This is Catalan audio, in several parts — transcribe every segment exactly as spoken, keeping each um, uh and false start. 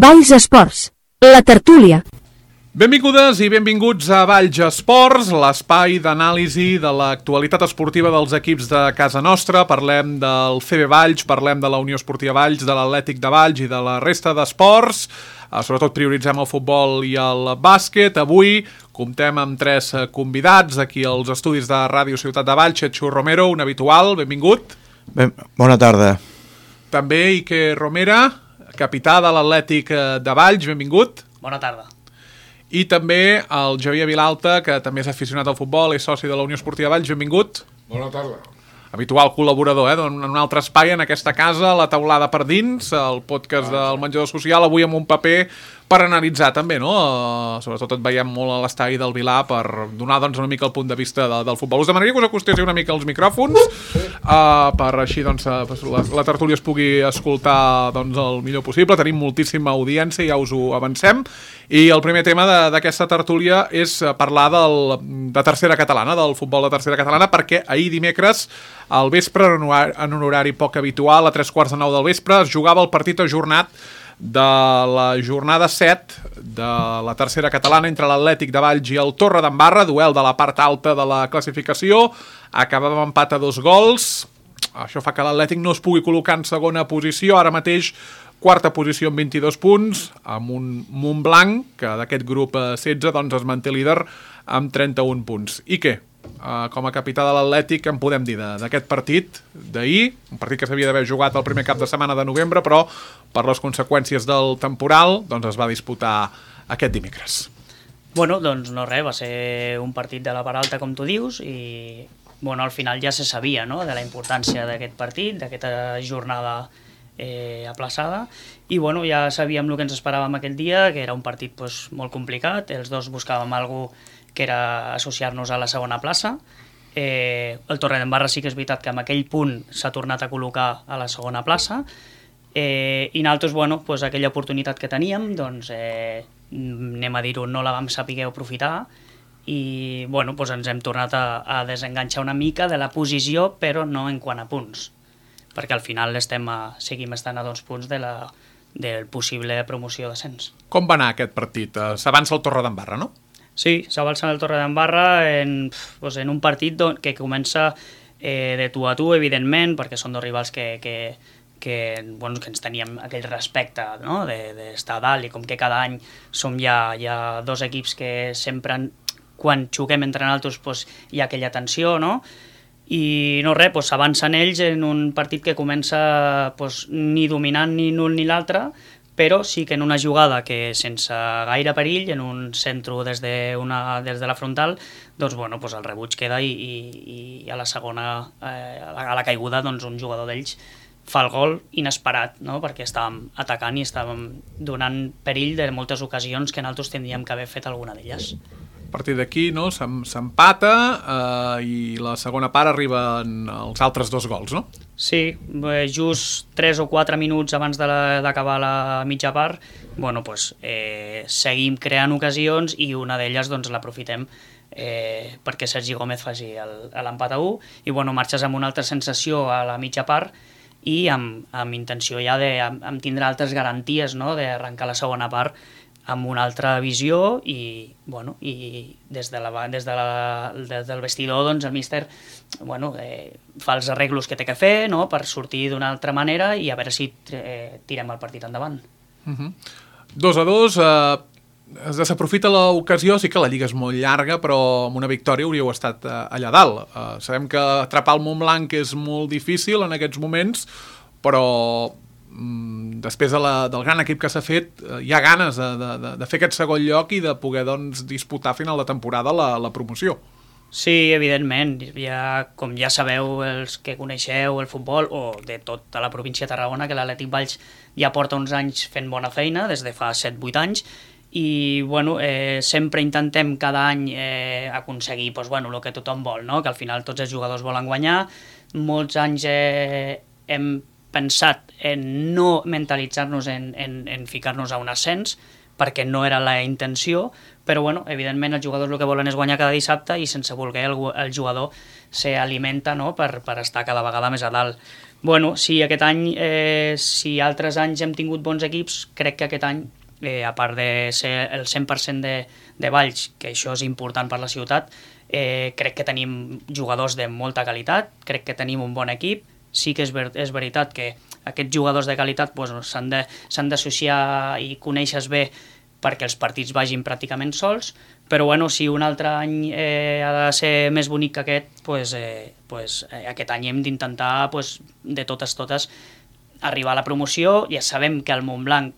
Valls Esports, la tertúlia. Benvingudes i benvinguts a Valls Esports, l'espai d'anàlisi de l'actualitat esportiva dels equips de casa nostra. Parlem del C B Valls, parlem de la Unió Esportiva Valls, de l'Atlètic de Valls i de la resta d'esports. Sobretot prioritzem el futbol i el bàsquet. Avui comptem amb tres convidats aquí als estudis de Ràdio Ciutat de Valls. Chechu Romero, un habitual, benvingut. Ben, bona tarda. També Ike Romera, capità de l'Atlètic de Valls, benvingut. Bona tarda. I també el Javier Vilalta, que també és aficionat al futbol, és soci de la Unió Esportiva Valls, benvingut. Bona tarda. Habitual col·laborador, eh, en un altre espai en aquesta casa, La Taulada per Dins, el podcast del menjador social, avui amb un paper per analitzar també, no? Uh, sobretot et veiem molt a l'estadi del Vilar per donar doncs, una mica el punt de vista de, del futbol. Us demanaria que us acostéssiu una mica als micròfons, uh, per així doncs, uh, la, la tertúlia es pugui escoltar doncs, el millor possible. Tenim moltíssima audiència, ja us ho avancem. I el primer tema d'aquesta tertúlia és parlar del, de tercera catalana, del futbol de tercera catalana, perquè ahir dimecres, al vespre, en un horari poc habitual, a tres quarts de nou del vespre, es jugava el partit ajornat de la jornada set de la tercera catalana entre l'Atlètic de Valls i el Torredembarra, duel de la part alta de la classificació. Acabava empat a dos gols. Això fa que l'Atlètic no es pugui col·locar en segona posició, ara mateix quarta posició amb vint-i-dos punts, amb un Montblanc, que d'aquest grup setze doncs, es manté líder amb trenta-un punts. I què? Uh, com a capità de l'Atlètic, en podem dir d'aquest partit d'ahir, un partit que s'havia d'haver jugat el primer cap de setmana de novembre, però per les conseqüències del temporal doncs es va disputar aquest dimecres. Bueno, doncs no res, va ser un partit de la part alta, com tu dius, i bueno, al final ja se sabia, no?, de la importància d'aquest partit, d'aquesta jornada eh, aplaçada, i bueno, ja sabíem el que ens esperàvem aquell dia, que era un partit pues, molt complicat. Els dos buscàvem alguna cosa que era associar-nos a la segona plaça. Eh, el Torredembarra sí que és veritat que amb aquell punt s'ha tornat a col·locar a la segona plaça, eh, i nosaltres, bueno, pues, aquella oportunitat que teníem, doncs, eh, anem a dir-ho, no la vam saber aprofitar, i bueno, pues, ens hem tornat a, a desenganxar una mica de la posició, però no en quant a punts, perquè al final estem a, seguim estant a dos punts de la, del possible promoció d'ascens. Com va anar aquest partit? S'avança el Torredembarra, no? Sí, s'avança el Torredembarra en, pues, en un partit que comença eh, de tu a tu, evidentment, perquè són dos rivals que, que, que, bueno, que ens teníem aquell respecte, no?, d'estar a dalt, i com que cada any som ja, ja dos equips que sempre, quan juguem entre nosaltres, pues, hi ha aquella tensió, no?, i no res, pues, s'avancen ells en un partit que comença pues, ni dominant ni l'un ni l'altre, però sí que en una jugada que sense gaire perill, en un centre des de, una, des de la frontal, doncs bueno, pues el rebuig queda i, i, i a la segona, eh, a, la, a la caiguda, doncs un jugador d'ells fa el gol inesperat, no?, perquè estàvem atacant i estàvem donant perill de moltes ocasions que nosaltres tindríem que haver fet alguna d'elles. A partir d'aquí, no?, s'empata eh, i la segona part arriben els altres dos gols, no? Sí, just tres o quatre minuts abans d'acabar la, la mitja part, bueno, pues, eh, seguim creant ocasions i una d'elles doncs, l'aprofitem eh, perquè Sergi Gómez faci l'empat a u, i bueno, marxes amb una altra sensació a la mitja part i amb, amb intenció ja de amb, amb tindre altres garanties, no?, d'arrencar la segona part amb una altra visió, i, bueno, i des, de la, des, de la, des del vestidor doncs, el míster bueno, eh, fa els arreglos que té que fer, no?, per sortir d'una altra manera i a veure si eh, tirem el partit endavant. Uh-huh. Dos a dos, eh, es desaprofita l'ocasió, sí que la lliga és molt llarga, però amb una victòria hauríeu estat eh, allà dalt. Eh, sabem que atrapar el Montblanc és molt difícil en aquests moments, però després de la, del gran equip que s'ha fet, hi ha ganes de, de, de fer aquest segon lloc i de poder doncs, disputar a final de temporada la, la promoció. Sí, evidentment. Ja, com ja sabeu, els que coneixeu el futbol, o de tota la província de Tarragona, que l'Atlètic Valls ja porta uns anys fent bona feina, des de fa set vuit anys, i bueno, eh, sempre intentem cada any eh, aconseguir pues, bueno, el que tothom vol, no?, que al final tots els jugadors volen guanyar. Molts anys eh, hem pensat en no mentalitzar-nos en, en, en ficar-nos a un ascens, perquè no era la intenció, però bueno, evidentment els jugadors el que volen és guanyar cada dissabte i sense voler el, el jugador s'alimenta, no?, per, per estar cada vegada més a dalt. Bueno, sí, aquest any, eh, si altres anys hem tingut bons equips, crec que aquest any, eh, a part de ser el cent per cent de, de Valls, que això és important per la ciutat, eh, crec que tenim jugadors de molta qualitat, crec que tenim un bon equip. Sí que és, ver és veritat que aquests jugadors de qualitat pues, s'han d'associar i conèixer bé perquè els partits vagin pràcticament sols, però bueno, si un altre any eh, ha de ser més bonic que aquest, pues, eh, pues, eh, aquest any hem d'intentar pues, de totes totes arribar a la promoció. Ja sabem que el Montblanc,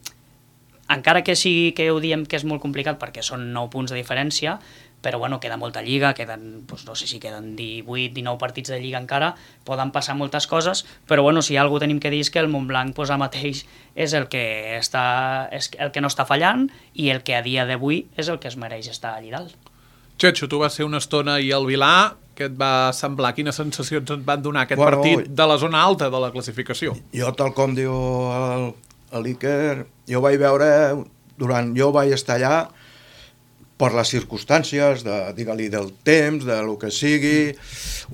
encara que sigui que ho diem que és molt complicat perquè són nou punts de diferència, però bueno, queda molta lliga, queden, doncs no sé si queden divuit dinou partits de lliga encara, poden passar moltes coses, però bueno, si hi ha alguna cosa tenim que dir és que el Montblanc pues, ara mateix és el que, està, és el que no està fallant i el que a dia d'avui és el que es mereix estar allà dalt. Xetxo, tu vas ser una estona i al Vilar, què et va semblar? Quines sensacions et van donar aquest bueno, partit de la zona alta de la classificació? Jo, tal com diu el, l'Iker, jo vaig veure, durant, jo vaig estar allà per les circumstàncies, de, digue-li, del temps, de lo que sigui,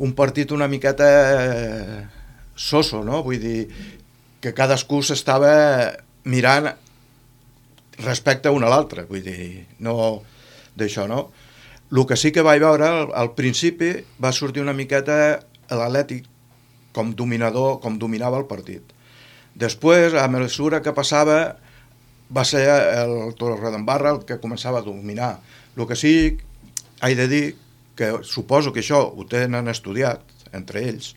un partit una miqueta soso, no? Vull dir, que cadascú s'estava mirant respecte a un a l'altre, vull dir, no d'això, no? El que sí que vaig veure, al, al principi, va sortir una miqueta l'Atlètic com dominador, com dominava el partit. Després, a mesura que passava, va ser el Torredembarra el que començava a dominar. El que sí, he de dir, que suposo que això ho tenen estudiat entre ells,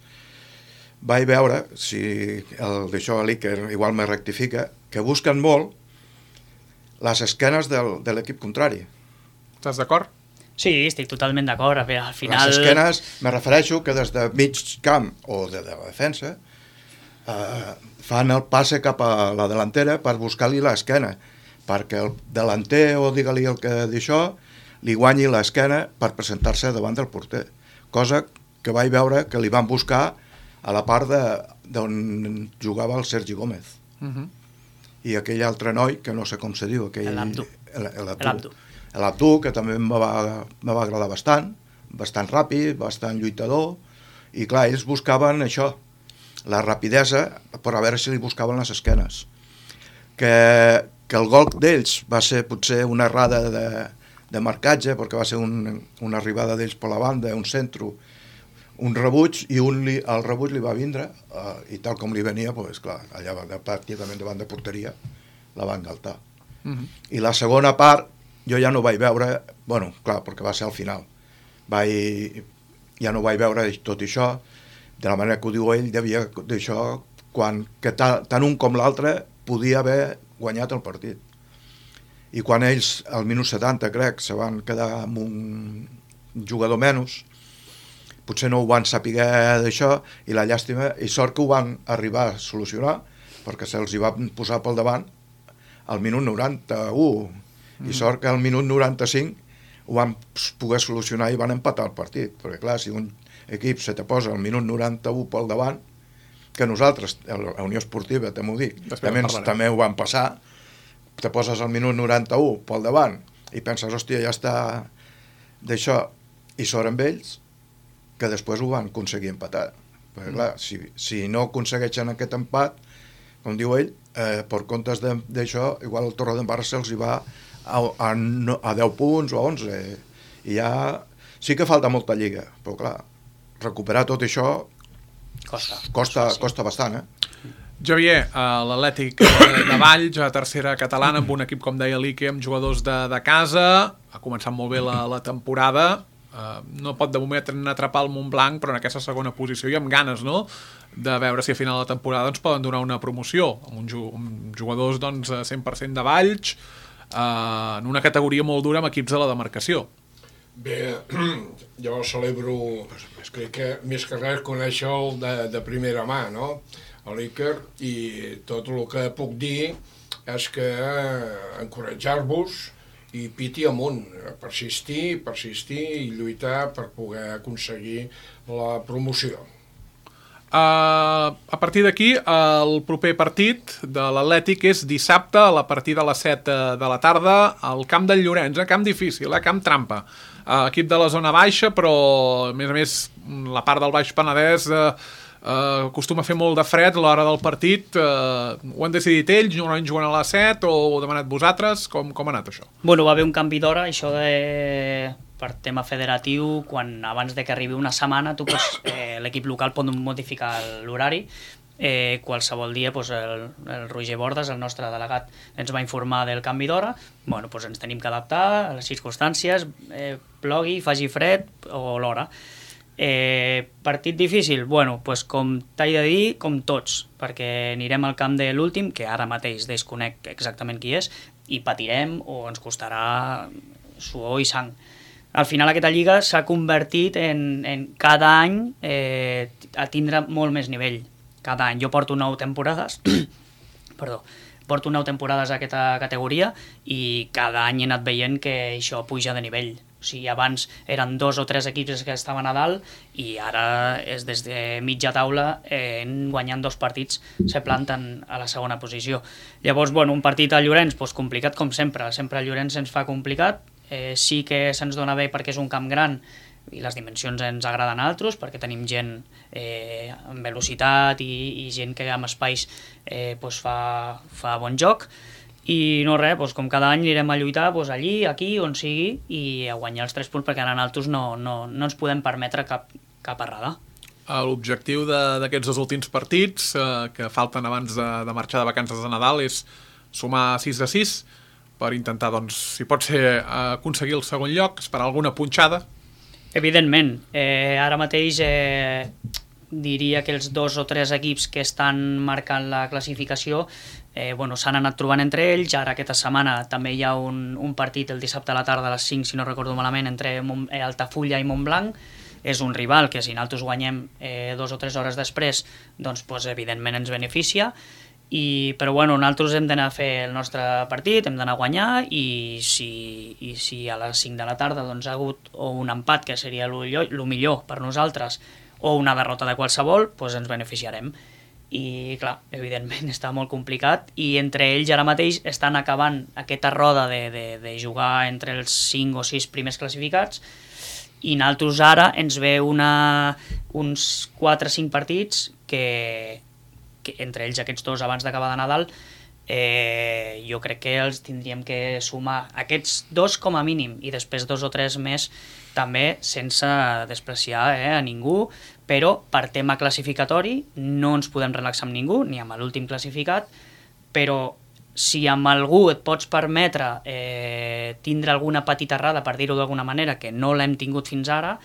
vaig veure, si el d'això l'Iker igual me rectifica, que busquen molt les esquenes del, de l'equip contrari. Estàs d'acord? Sí, estic totalment d'acord. Al final... Les esquenes, me refereixo que des de mig camp o de, de la defensa eh, fan el passe cap a la delantera per buscar-li l'esquena, perquè el delanter, o digue-li el que d'això, li guanyi l'esquena per presentar-se davant del porter. Cosa que vaig veure que li van buscar a la part d'on jugava el Sergi Gómez. Uh -huh. I aquell altre noi, que no sé com se diu, aquell... L'Abdu. L'Abdu. L'Abdu, que també me va, me va agradar bastant, bastant ràpid, bastant lluitador, i clar, ells buscaven això, la rapidesa, per a veure si li buscaven les esquenes. Que, que el gol d'ells va ser potser una errada de, de marcatge, perquè va ser un, una arribada d'ells per la banda, un centro, un rebuig, i un li, el rebuig li va vindre, eh, i tal com li venia, pues, clar, allà va, pràcticament davant de porteria, la va engaltar. Uh -huh. I la segona part, jo ja no vaig veure, bueno, clar, perquè va ser al final, vaig, ja no vaig veure tot això, de la manera que ho diu ell, devia d'això, quan que ta, tant un com l'altre podia haver guanyat el partit. I quan ells, al minut setanta, crec, se van quedar amb un jugador menys, potser no ho van saber d'això, i la llàstima, i sort que ho van arribar a solucionar, perquè se'ls hi va posar pel davant al minut noranta-u, mm. i sort que al minut noranta-cinc ho van poder solucionar i van empatar el partit, perquè clar, si un equip se te posa al minut noranta-u pel davant, que nosaltres, la Unió Esportiva, també ho dic, també, també ho van passar, te poses al minut noranta-u pel davant i penses, hòstia, ja està d'això, i sort amb ells que després ho van aconseguir empatar, perquè mm. clar, si, si no aconsegueixen aquest empat, com diu ell, eh, per comptes d'això, igual el Torredembarra se'ls hi va a, a, a deu punts o a onze, i ja sí que falta molta lliga, però clar, recuperar tot això costa, costa, costa bastant, eh? Javier, l'Atlètic de Valls, a tercera catalana, amb un equip, com deia l'Iker, amb jugadors de, de casa, ha començat molt bé la, la temporada, uh, no pot de moment atrapar el Montblanc, però en aquesta segona posició i amb ganes, no?, de veure si a final de temporada ens poden donar una promoció, amb, un, amb jugadors doncs, cent per cent de Valls, uh, en una categoria molt dura amb equips de la demarcació. Bé, jo celebro, crec que més que res conèixer-lo de, de primera mà, no?, a l'Iker, i tot el que puc dir és que encoratjar-vos i piti amunt, persistir, persistir i lluitar per poder aconseguir la promoció. Uh, a partir d'aquí, el proper partit de l'Atlètic és dissabte a la partida de les set de la tarda al camp del Llorenç, eh? Camp difícil, eh? Camp trampa. Uh, equip de la zona baixa, però a més a més la part del Baix Penedès uh, Uh, acostuma a fer molt de fred a l'hora del partit. Uh, ho han decidit ells, normalment juguen a les set, o ho heu demanat vosaltres? Com, com ha anat això? Bueno, va haver un canvi d'hora, això de... per tema federatiu, quan abans de que arribi una setmana tu pots, eh, l'equip local pot modificar l'horari. Eh, qualsevol dia doncs, el, el Roger Bordes, el nostre delegat, ens va informar del canvi d'hora. Bueno, doncs ens tenim que adaptar a les circumstàncies, eh, plogui, faci fred o l'hora. Eh, partit difícil? Bueno, doncs com t'he de dir, com tots, perquè anirem al camp de l'últim, que ara mateix desconec exactament qui és, i patirem o ens costarà suor i sang. Al final aquesta lliga s'ha convertit en, en cada any eh, a tindre molt més nivell. Cada any. Jo porto nou temporades, perdó, porto nou temporades a aquesta categoria i cada any he anat veient que això puja de nivell. O sigui, abans eren dos o tres equips que estaven a dalt i ara és des de mitja taula, eh, guanyant dos partits, se planten a la segona posició. Llavors, bueno, un partit a Llorenç, doncs complicat com sempre. Sempre a Llorenç se'ns fa complicat. Eh, sí que se'ns dona bé perquè és un camp gran i les dimensions ens agraden a altres, perquè tenim gent eh, amb velocitat i, i gent que amb espais eh, doncs fa, fa bon joc. I no res, doncs com cada any anirem a lluitar doncs allí, aquí, on sigui, i a guanyar els tres punts, perquè ara nosaltres no, no, no ens podem permetre cap, cap errada. L'objectiu d'aquests dos últims partits eh, que falten abans de, de marxar de vacances de Nadal és sumar sis de sis per intentar, doncs, si pot ser, aconseguir el segon lloc, esperar alguna punxada. Evidentment, eh, ara mateix eh, diria que els dos o tres equips que estan marcant la classificació eh, bueno, s'han anat trobant entre ells. Ara aquesta setmana també hi ha un, un partit el dissabte a la tarda a les cinc, si no recordo malament, entre Mont, eh, Altafulla i Montblanc. És un rival que si nosaltres guanyem eh, dos o tres hores després, doncs, doncs evidentment ens beneficia. I, però bueno, nosaltres hem d'anar a fer el nostre partit, hem d'anar a guanyar i si, i si a les cinc de la tarda doncs, ha hagut o un empat, que seria el millor per nosaltres, o una derrota de qualsevol, doncs ens beneficiarem. I clar, evidentment està molt complicat i entre ells ara mateix estan acabant aquesta roda de, de, de jugar entre els cinc o sis primers classificats i nosaltres ara ens ve una, uns quatre o cinc partits que, que entre ells aquests dos abans d'acabar de Nadal eh, jo crec que els tindríem que sumar aquests dos com a mínim i després dos o tres més també sense despreciar eh, a ningú, però per tema classificatori no ens podem relaxar amb ningú, ni amb l'últim classificat, però si amb algú et pots permetre eh, tindre alguna petita errada, per dir-ho d'alguna manera, que no l'hem tingut fins ara,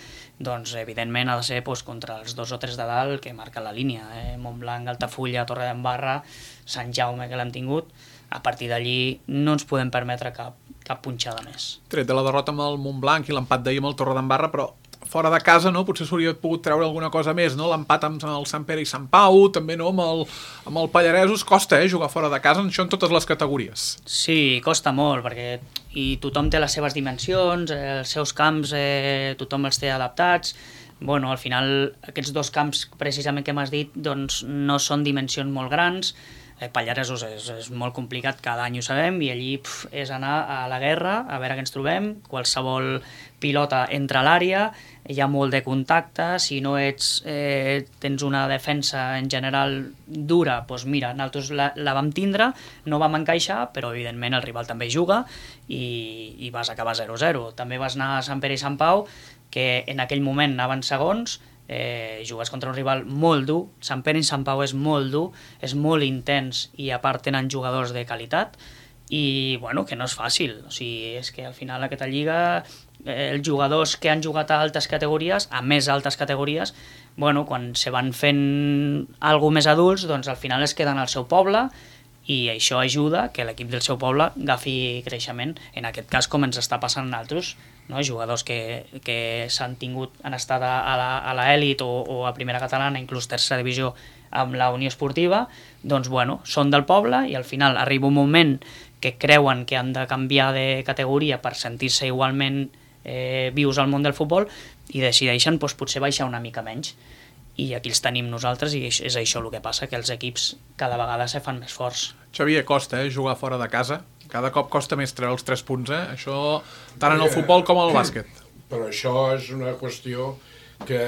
doncs evidentment ha de ser doncs, contra els dos o tres de dalt que marquen la línia, eh? Montblanc, Altafulla, Torredembarra, Sant Jaume, que l'hem tingut. A partir d'allí no ens podem permetre cap, cap punxada més. Tret de la derrota amb el Montblanc i l'empat d'ahir amb el Torredembarra, però fora de casa, no? Potser s'hauria pogut treure alguna cosa més, no? L'empat amb el Sant Pere i Sant Pau, també no? amb, el, amb el Pallaresos, costa eh? jugar fora de casa, això en totes les categories. Sí, costa molt, perquè i tothom té les seves dimensions, els seus camps, eh, tothom els té adaptats. Bueno, al final aquests dos camps precisament que m'has dit doncs, no són dimensions molt grans. Eh, Pallaresos és, és molt complicat, cada any ho sabem, i allí pf, és anar a la guerra, a veure què ens trobem, qualsevol pilota entra a l'àrea, hi ha molt de contacte, si no ets, eh, tens una defensa en general dura, doncs mira, nosaltres la, la vam tindre, no vam encaixar, però evidentment el rival també juga i, i vas acabar zero a zero. També vas anar a Sant Pere i Sant Pau, que en aquell moment anaven segons, Eh, jugues contra un rival molt dur. Sant Pere i Sant Pau és molt dur, és molt intens i a part tenen jugadors de qualitat i bueno, que no és fàcil, o sigui, és que al final aquesta lliga eh, els jugadors que han jugat a altes categories, a més altes categories, bueno, quan se van fent alguna més adults, doncs al final es queden al seu poble i això ajuda que l'equip del seu poble agafi creixement, en aquest cas com ens està passant a nosaltres, no? Jugadors que, que s'han tingut, han estat a l'elit o, o a primera catalana, inclús tercera divisió amb la Unió Esportiva, doncs bueno, són del poble i al final arriba un moment que creuen que han de canviar de categoria per sentir-se igualment eh, vius al món del futbol i decideixen doncs, potser baixar una mica menys. I aquí els tenim nosaltres i és això el que passa, que els equips cada vegada se fan més forts. Xavier, costa eh, jugar fora de casa. Cada cop costa més treure els tres punts, eh? Això tant en el futbol com en el bàsquet. Però això és una qüestió que,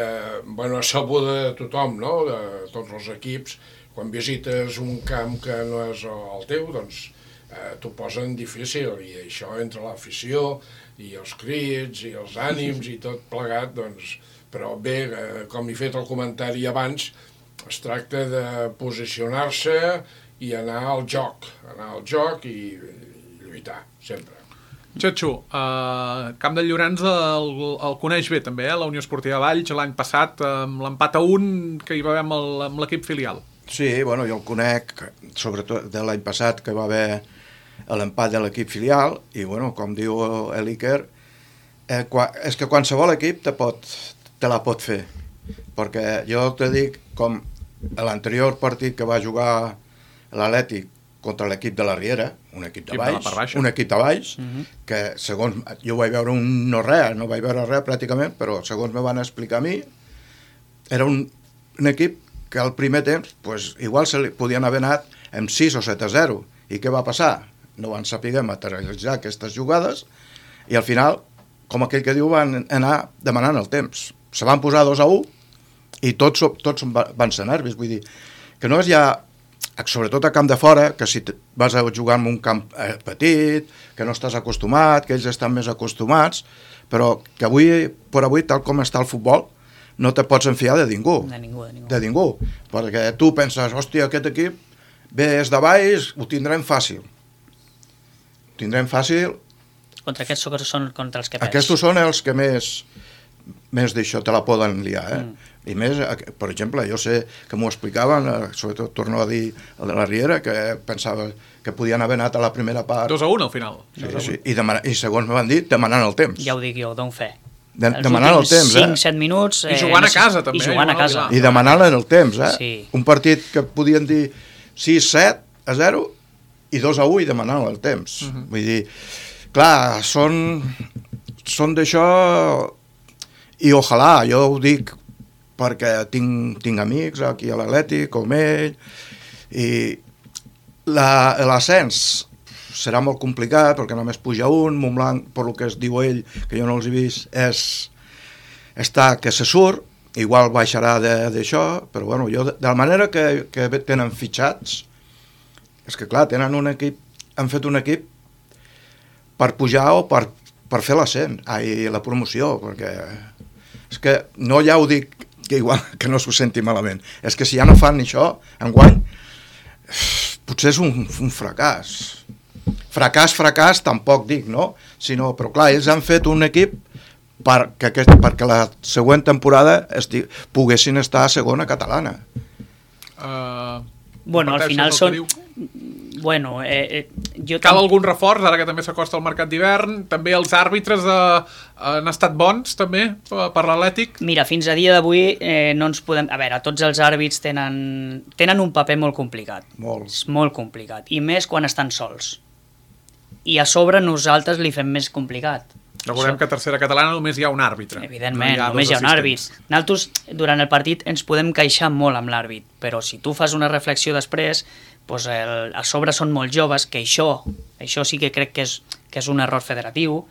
bueno, és sabuda de tothom, no?, de tots els equips, quan visites un camp que no és el teu, doncs eh, t'ho posen difícil, i això entre l'afició i els crits i els ànims i tot plegat, doncs, però bé, eh, com he fet el comentari abans, es tracta de posicionar-se i anar al joc, anar al joc i, i lluitar, sempre. Txetxo, uh, Camp de Llorenç el, el coneix bé també, eh? La Unió Esportiva Valls, l'any passat, amb l'empat a un que hi va haver amb, amb l'equip filial. Sí, bueno, jo el conec, sobretot de l'any passat, que va haver l'empat de l'equip filial, i bueno, com diu l'Iker, eh, és que qualsevol equip te, pot, te la pot fer, perquè jo te dic, com l'anterior partit que va jugar l'Atlètic contra l'equip de la Riera, un equip de baix, un equip de baix, uh -huh. que segons, jo vaig veure un no res, no vaig veure res pràcticament, però segons me van explicar a mi, era un, un equip que al primer temps, pues, igual se li podien haver anat amb sis o set a zero. I què va passar? No van saber materialitzar aquestes jugades, i al final, com aquell que diu, van anar demanant el temps. Se van posar dos a un, i tots, tots van ser nervis, vull dir, que no és ja, sobretot a camp de fora, que si vas a jugar en un camp petit, que no estàs acostumat, que ells estan més acostumats, però que avui, per avui, tal com està el futbol, no te pots enfiar de ningú. De ningú, de ningú. De ningú, perquè tu penses, hòstia, aquest equip ve és de baix, ho tindrem fàcil. Ho tindrem fàcil. Contra aquests són contra els que pes. Aquests són els que més, més d'això te la poden liar, eh? Mm. I més, per exemple, jo sé que m'ho explicaven, sobretot torno a dir el de la Riera, que pensava que podien haver anat a la primera part. dos a un al final. Sí, sí. I, demana, I segons m'han dit, demanant el temps. Ja ho dic jo, dono fe. De, demanant el temps, eh? cinc set minuts... I jugant eh, a casa, també. I jugant a casa. I demanant el temps, eh? Sí. Un partit que podien dir sis set a zero i dos a u i demanant el temps. Uh-huh. Vull dir, clar, són, són d'això i ojalà, jo ho dic perquè tinc, tinc amics aquí a l'Atlètic, com ell, i l'ascens serà molt complicat perquè només puja un, Montblanc, per lo que es diu ell, que jo no els he vist, és, està que se surt, igual baixarà d'això, però bueno, jo, de la manera que, que tenen fitxats, és que clar, tenen un equip, han fet un equip per pujar o per, per fer l'ascens, ai, la promoció, perquè és que no ja ho dic que igual que no s'ho senti malament, és que si ja no fan això enguany, potser és un, un fracàs. Fracàs, fracàs, tampoc dic, no? Sinó, però clar, ells han fet un equip perquè, aquest, perquè la següent temporada esti, poguessin estar a segona catalana. Uh, bueno, al final són... Bueno, eh, eh, jo cal tam... algun reforç, ara que també s'acosta el mercat d'hivern, també els àrbitres eh, han estat bons, també, per l'Atlètic? Mira, fins a dia d'avui eh, no ens podem... A veure, tots els àrbits tenen, tenen un paper molt complicat. Molt. És molt complicat, i més quan estan sols. I a sobre nosaltres li fem més complicat. Recordem que a tercera catalana només hi ha un àrbitre. Evidentment, no hi només hi ha un àrbit. Nosaltres, durant el partit, ens podem queixar molt amb l'àrbit, però si tu fas una reflexió després, doncs el, a sobre són molt joves, que això, això sí que crec que és, que és un error federatiu.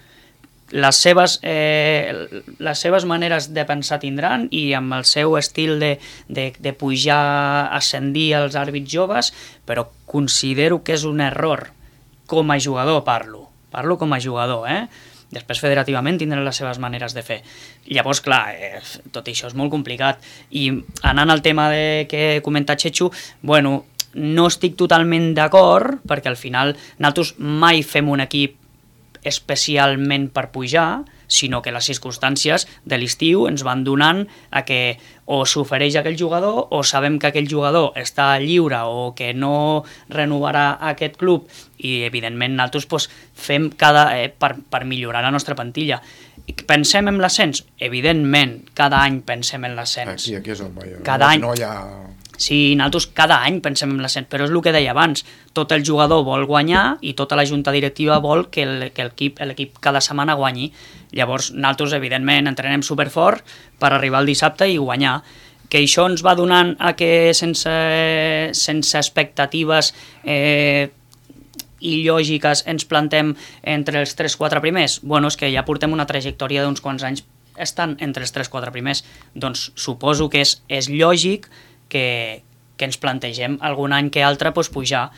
Les seves, eh, les seves maneres de pensar tindran, i amb el seu estil de, de, de pujar, ascendir els àrbits joves, però considero que és un error. Com a jugador parlo, parlo com a jugador, eh? Després federativament tindran les seves maneres de fer. Llavors, clar, eh, tot això és molt complicat. I anant al tema de que comenta Txetxo, bueno, no estic totalment d'acord, perquè al final nosaltres mai fem un equip especialment per pujar, sinó que les circumstàncies de l'estiu ens van donant a que o s'ofereix aquell jugador o sabem que aquell jugador està lliure o que no renovarà aquest club, i evidentment nosaltres doncs, fem cada, eh, per, per millorar la nostra plantilla. Pensem en l'ascens? Evidentment, cada any pensem en l'ascens. Aquí, aquí és on vaig. Cada no, any. No hi ha... Sí, nosaltres cada any pensem en l'ascens, però és el que deia abans, tot el jugador vol guanyar i tota la junta directiva vol que l'equip cada setmana guanyi. Llavors, nosaltres, evidentment, entrenem superfort per arribar al dissabte i guanyar. Que això ens va donant a que sense, sense expectatives eh, il·lògiques ens plantem entre els tres quatre primers? Bueno, és que ja portem una trajectòria d'uns quants anys estan entre els tres quatre primers, doncs suposo que és, és lògic que, que ens plantegem algun any que altre pues, pujar,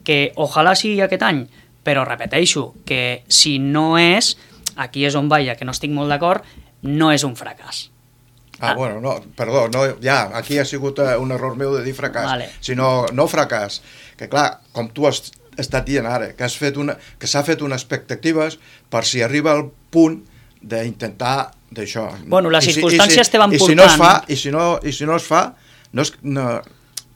que ojalà sigui aquest any, però repeteixo que si no és, aquí és on vaja, que no estic molt d'acord, no és un fracàs. Ah, ah, bueno, no, perdó, no, ja, aquí ha sigut un error meu de dir fracàs, vale. sinó no fracàs, que clar, com tu has estat dient ara, que has fet una, que s'ha fet unes expectatives per si arriba al punt d'intentar d'això. Bueno, les I si, circumstàncies i si, te van i si portant... no es fa, i si no, i si no es fa, no és, no,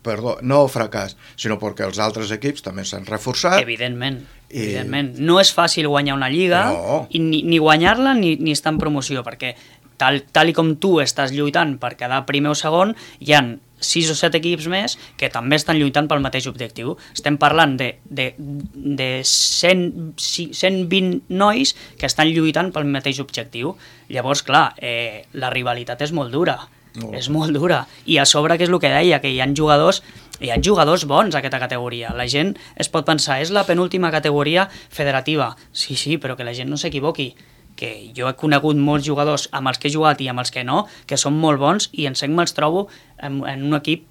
perdó, no fracàs, sinó perquè els altres equips també s'han reforçat. Evidentment, I... evidentment. No és fàcil guanyar una lliga, no. i ni, ni guanyar-la ni, ni estar en promoció, perquè tal, tal i com tu estàs lluitant per quedar primer o segon, hi han sis o set equips més que també estan lluitant pel mateix objectiu. Estem parlant de, de, de cent, cent vint nois que estan lluitant pel mateix objectiu. Llavors, clar, eh, la rivalitat és molt dura. No. És molt dura. I a sobre, que és el que deia, que hi ha jugadors, hi ha jugadors bons a aquesta categoria. La gent es pot pensar, és la penúltima categoria federativa. Sí, sí, però que la gent no s'equivoqui. Que jo he conegut molts jugadors amb els que he jugat i amb els que no, que són molt bons i en sec me'ls trobo en, en un equip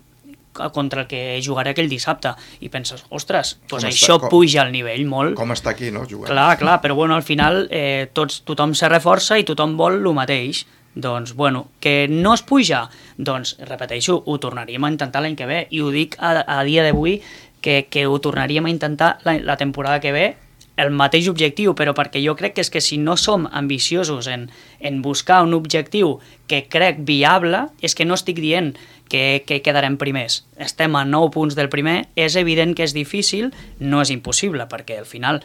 contra el que jugaré aquell dissabte. I penses, ostres, doncs això està, com, puja el nivell molt. Com està aquí, no? Jugant. Clar, clar, però bueno, al final eh, tots, tothom se reforça i tothom vol el mateix. Doncs, bueno, que no es puja, doncs, repeteixo, ho tornaríem a intentar l'any que ve, i ho dic a, a dia d'avui, que, que ho tornaríem a intentar la, la temporada que ve, el mateix objectiu, però perquè jo crec que és que si no som ambiciosos en, en buscar un objectiu que crec viable, és que no estic dient que, que quedarem primers. Estem a nou punts del primer, és evident que és difícil, no és impossible, perquè al final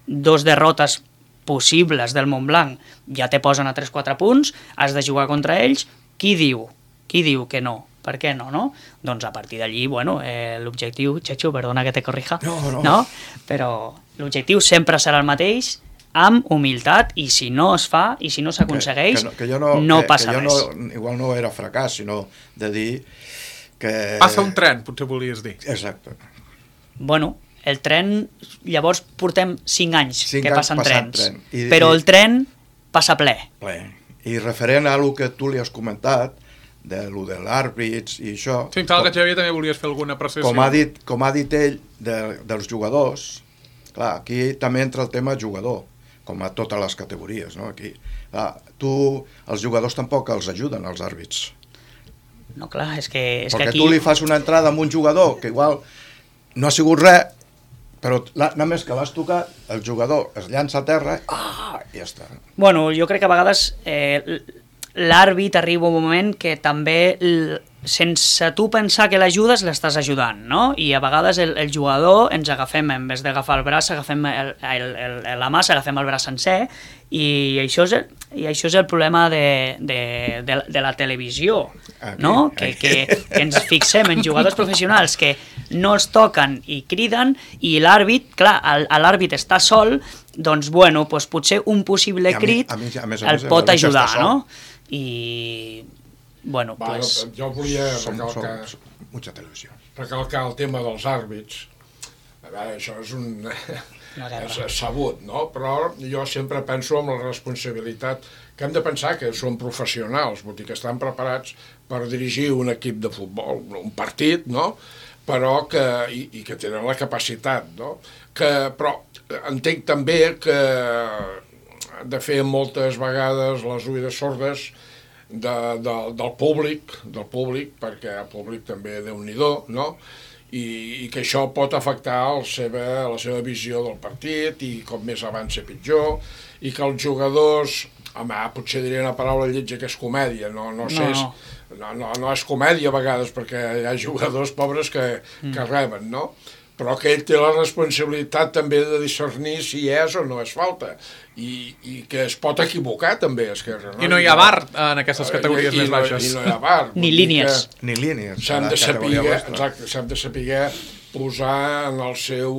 dos derrotes possibles del Montblanc ja te posen a tres quatre punts, has de jugar contra ells, qui diu? Qui diu que no? Per què no, no? Doncs a partir d'allí, bueno, eh, l'objectiu, Chechu, perdona que te corrija, no, no. no? Però l'objectiu sempre serà el mateix, amb humilitat, i si no es fa, i si no s'aconsegueix, que, que no, que no, no que, passa que jo res. No, igual no era fracàs, sinó de dir que... Passa un tren, potser volies dir. Exacte. Bueno, el tren, llavors portem cinc anys cinc que anys passen trens, tren. I, però i, el tren passa ple. ple. I referent a el que tu li has comentat, de lo de l'àrbits i això... Sí, em sembla que Xavier també volies fer alguna apreciació. Com ha dit, com ha dit ell de, dels jugadors, clar, aquí també entra el tema jugador, com a totes les categories, no? Aquí, clar, tu, els jugadors tampoc els ajuden, els àrbits. No, clar, és que, és Perquè que aquí... tu li fas una entrada amb un jugador que igual no ha sigut res, però només que l'has tocat, el jugador es llança a terra ah, i ja està. Bueno, jo crec que a vegades eh, l'àrbit arriba un moment que també, sense tu pensar que l'ajudes, l'estàs ajudant, no? I a vegades el, el jugador ens agafem, en vez d'agafar el braç, agafem el, el, el, la mà, agafem el braç sencer, i això és el, i això és el problema de, de, de, de la televisió, aquí, no? Que, que, que ens fixem en jugadors professionals que no els toquen i criden, i l'àrbit, clar, l'àrbit està sol, doncs, bueno, doncs potser un possible crit a mi, a mi, a més, el pot ajudar, no? I, bueno, Va, pues... Jo volia som, recalcar, som, mucha televisió. recalcar el tema dels àrbits. A veure, això és un... és sabut, no? Però jo sempre penso en la responsabilitat que hem de pensar que són professionals, vull dir que estan preparats per dirigir un equip de futbol, un partit, no? Però que, i, i que tenen la capacitat, no? Que, però entenc també que de fer moltes vegades les oïdes sordes de, de, del públic, del públic, perquè el públic també déu-n'hi-do, no? I, i que això pot afectar el seva, la seva visió del partit, i com més avança pitjor, i que els jugadors, home, potser diré una paraula lletja que és comèdia, no, no sé, no, no. No, no, no és comèdia a vegades, perquè hi ha jugadors pobres que, mm. que reben, no? Però que ell té la responsabilitat també de discernir si és o no és falta, i, i que es pot equivocar també, Esquerra. No? I no hi ha bar en aquestes categories I, i, més baixes. I no hi ha bar. Ni línies. Ni línies. S'han de saber, exacte, s'han de saber posar en el seu,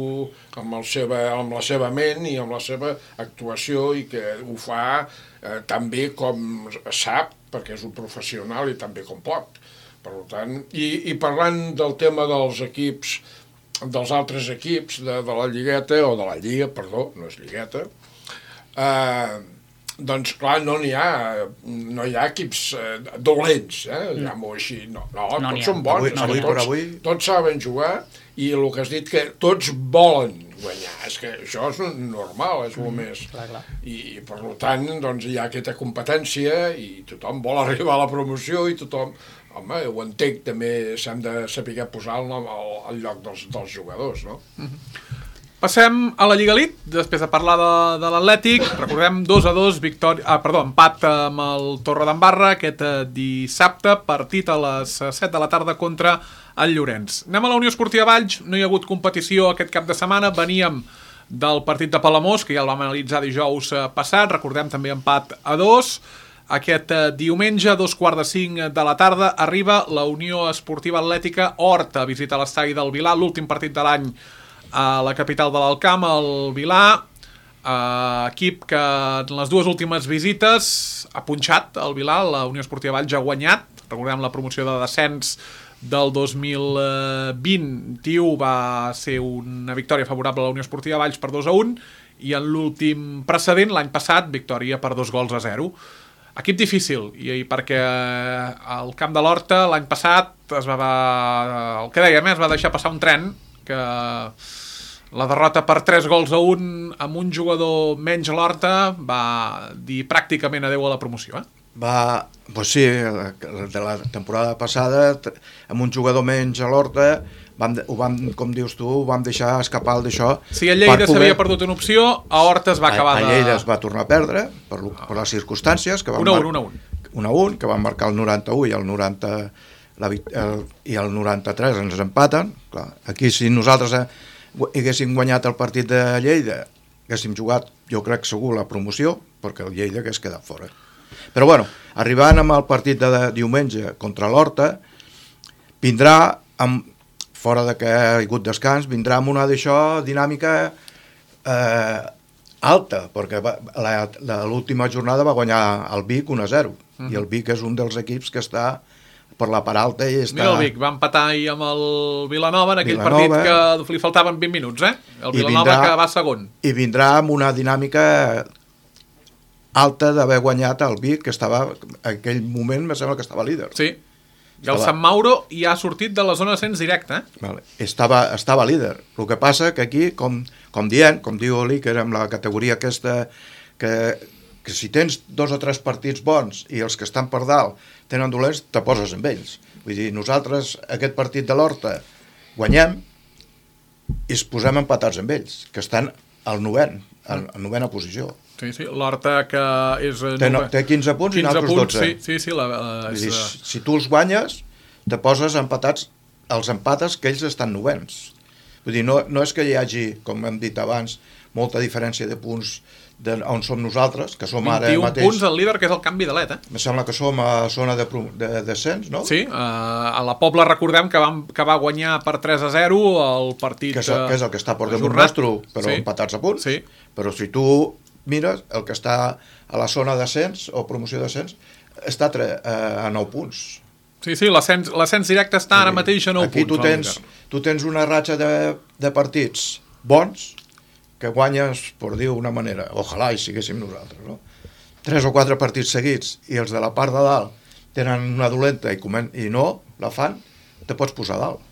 amb, el seva, amb la seva ment i amb la seva actuació, i que ho fa eh, tan bé com sap, perquè és un professional, i tan bé com pot. Per tant, i, i parlant del tema dels equips, dels altres equips de, de la Lligueta, o de la Lliga, perdó, no és Lligueta, eh, doncs clar, no n'hi ha, no hi ha equips eh, dolents, eh? Diguem-ho així. No, no, No tots n'hi ha. són bons, Avui- avui per tots, avui- tots saben jugar, i el que has dit que tots volen guanyar, és que això és normal, és el més... Clar, clar. I, i per tant, doncs, hi ha aquesta competència i tothom vol arribar a la promoció i tothom... Home, ho entenc, també s'han de saber posar el nom al, al lloc dels, dels jugadors, no? Passem a la Lliga Elite, després de parlar de, de l'Atlètic. Recordem dos a dos, victòria, ah, perdó, empat amb el Torredembarra aquest eh, dissabte, partit a les set de la tarda contra el Llorenç. Anem a la Unió Esportiva Valls, no hi ha hagut competició aquest cap de setmana, veníem del partit de Palamós, que ja el vam analitzar dijous eh, passat, recordem també empat a dos. Aquest eh, diumenge, a dos quarts de cinc de la tarda, arriba la Unió Esportiva Atlètica Horta, visita l'estadi del Vilar, l'últim partit de l'any a la capital de l'Alcamp, el Vilar, eh, equip que en les dues últimes visites ha punxat el Vilar, la Unió Esportiva Valls ha guanyat, recordem la promoció de descens del dos mil vint-i-u va ser una victòria favorable a la Unió Esportiva Valls per dos a un, i en l'últim precedent, l'any passat, victòria per dos gols a zero. Equip difícil, i perquè al camp de l'Horta l'any passat es va, el que dèiem, es va deixar passar un tren, que la derrota per tres gols a un amb un jugador menys a l'Horta va dir pràcticament adeu a la promoció, eh? Va, doncs sí, de la temporada passada, amb un jugador menys a l'Horta, vam, ho vam, com dius tu, ho vam deixar escapar d'això. Si a Lleida s'havia perdut una opció, a Horta es va acabar de... A Lleida es va tornar a perdre, per, per les circumstàncies, que van un a un, un a un. un a un, que van marcar el noranta-u i el noranta... La, el, i el noranta-tres ens empaten. Clar, aquí si nosaltres haguéssim guanyat el partit de Lleida, haguéssim jugat, jo crec segur, la promoció, perquè el Lleida hagués quedat fora. Però bueno, arribant amb el partit de diumenge contra l'Horta, vindrà, amb, fora de que ha hagut descans, vindrà amb una d'això dinàmica eh, alta, perquè l'última jornada va guanyar el Vic un a zero, uh-huh. I el Vic és un dels equips que està per la part alta i està... Mira el Vic, va empatar ahir amb el Vilanova en aquell Vilanova, partit que li faltaven vint minuts, eh? El Vilanova vindrà, que va segon. I vindrà amb una dinàmica alta d'haver guanyat el Vic, que estava, en aquell moment me sembla que estava líder. Sí, i el Sant Mauro ja ha sortit de la zona d'ascens directe, eh? Vale. Estava, estava líder. El que passa que aquí, com, com dient, com diu l'Iker, amb la categoria aquesta, que, que si tens dos o tres partits bons i els que estan per dalt tenen dolents, te poses amb ells. Vull dir, nosaltres aquest partit de l'Horta guanyem i es posem empatats amb ells, que estan al novent, en novena posició. Sí, sí, l'Horta que és... Té, no, té quinze punts i nosaltres dotze. Sí, sí, sí. La, la, és... dir, si tu els guanyes, te poses empatats, els empates que ells estan novens. Vull dir, no, no és que hi hagi, com hem dit abans, molta diferència de punts de on som nosaltres, que som ara mateix... vint i un punts el líder, que és el canvi de l'E T, eh? Me sembla que som a zona de, de descens, no? Sí, uh, a la Pobla recordem que, vam, que va guanyar per tres a zero el partit... Que és el que, és el que està per damunt ajornat. nostre, però sí. Empatats a punts. Sí. Però si tu mires, el que està a la zona d'ascens o promoció d'ascens està a, tre, a nou punts. Sí, sí, l'ascens directe està ara mateix a nou Aquí punts. Aquí tu tens, tu tens una ratxa de, de partits bons que guanyes, per dir una manera, ojalà hi siguéssim nosaltres, no? Tres o quatre partits seguits i els de la part de dalt tenen una dolenta i, comen i no la fan, te pots posar a dalt.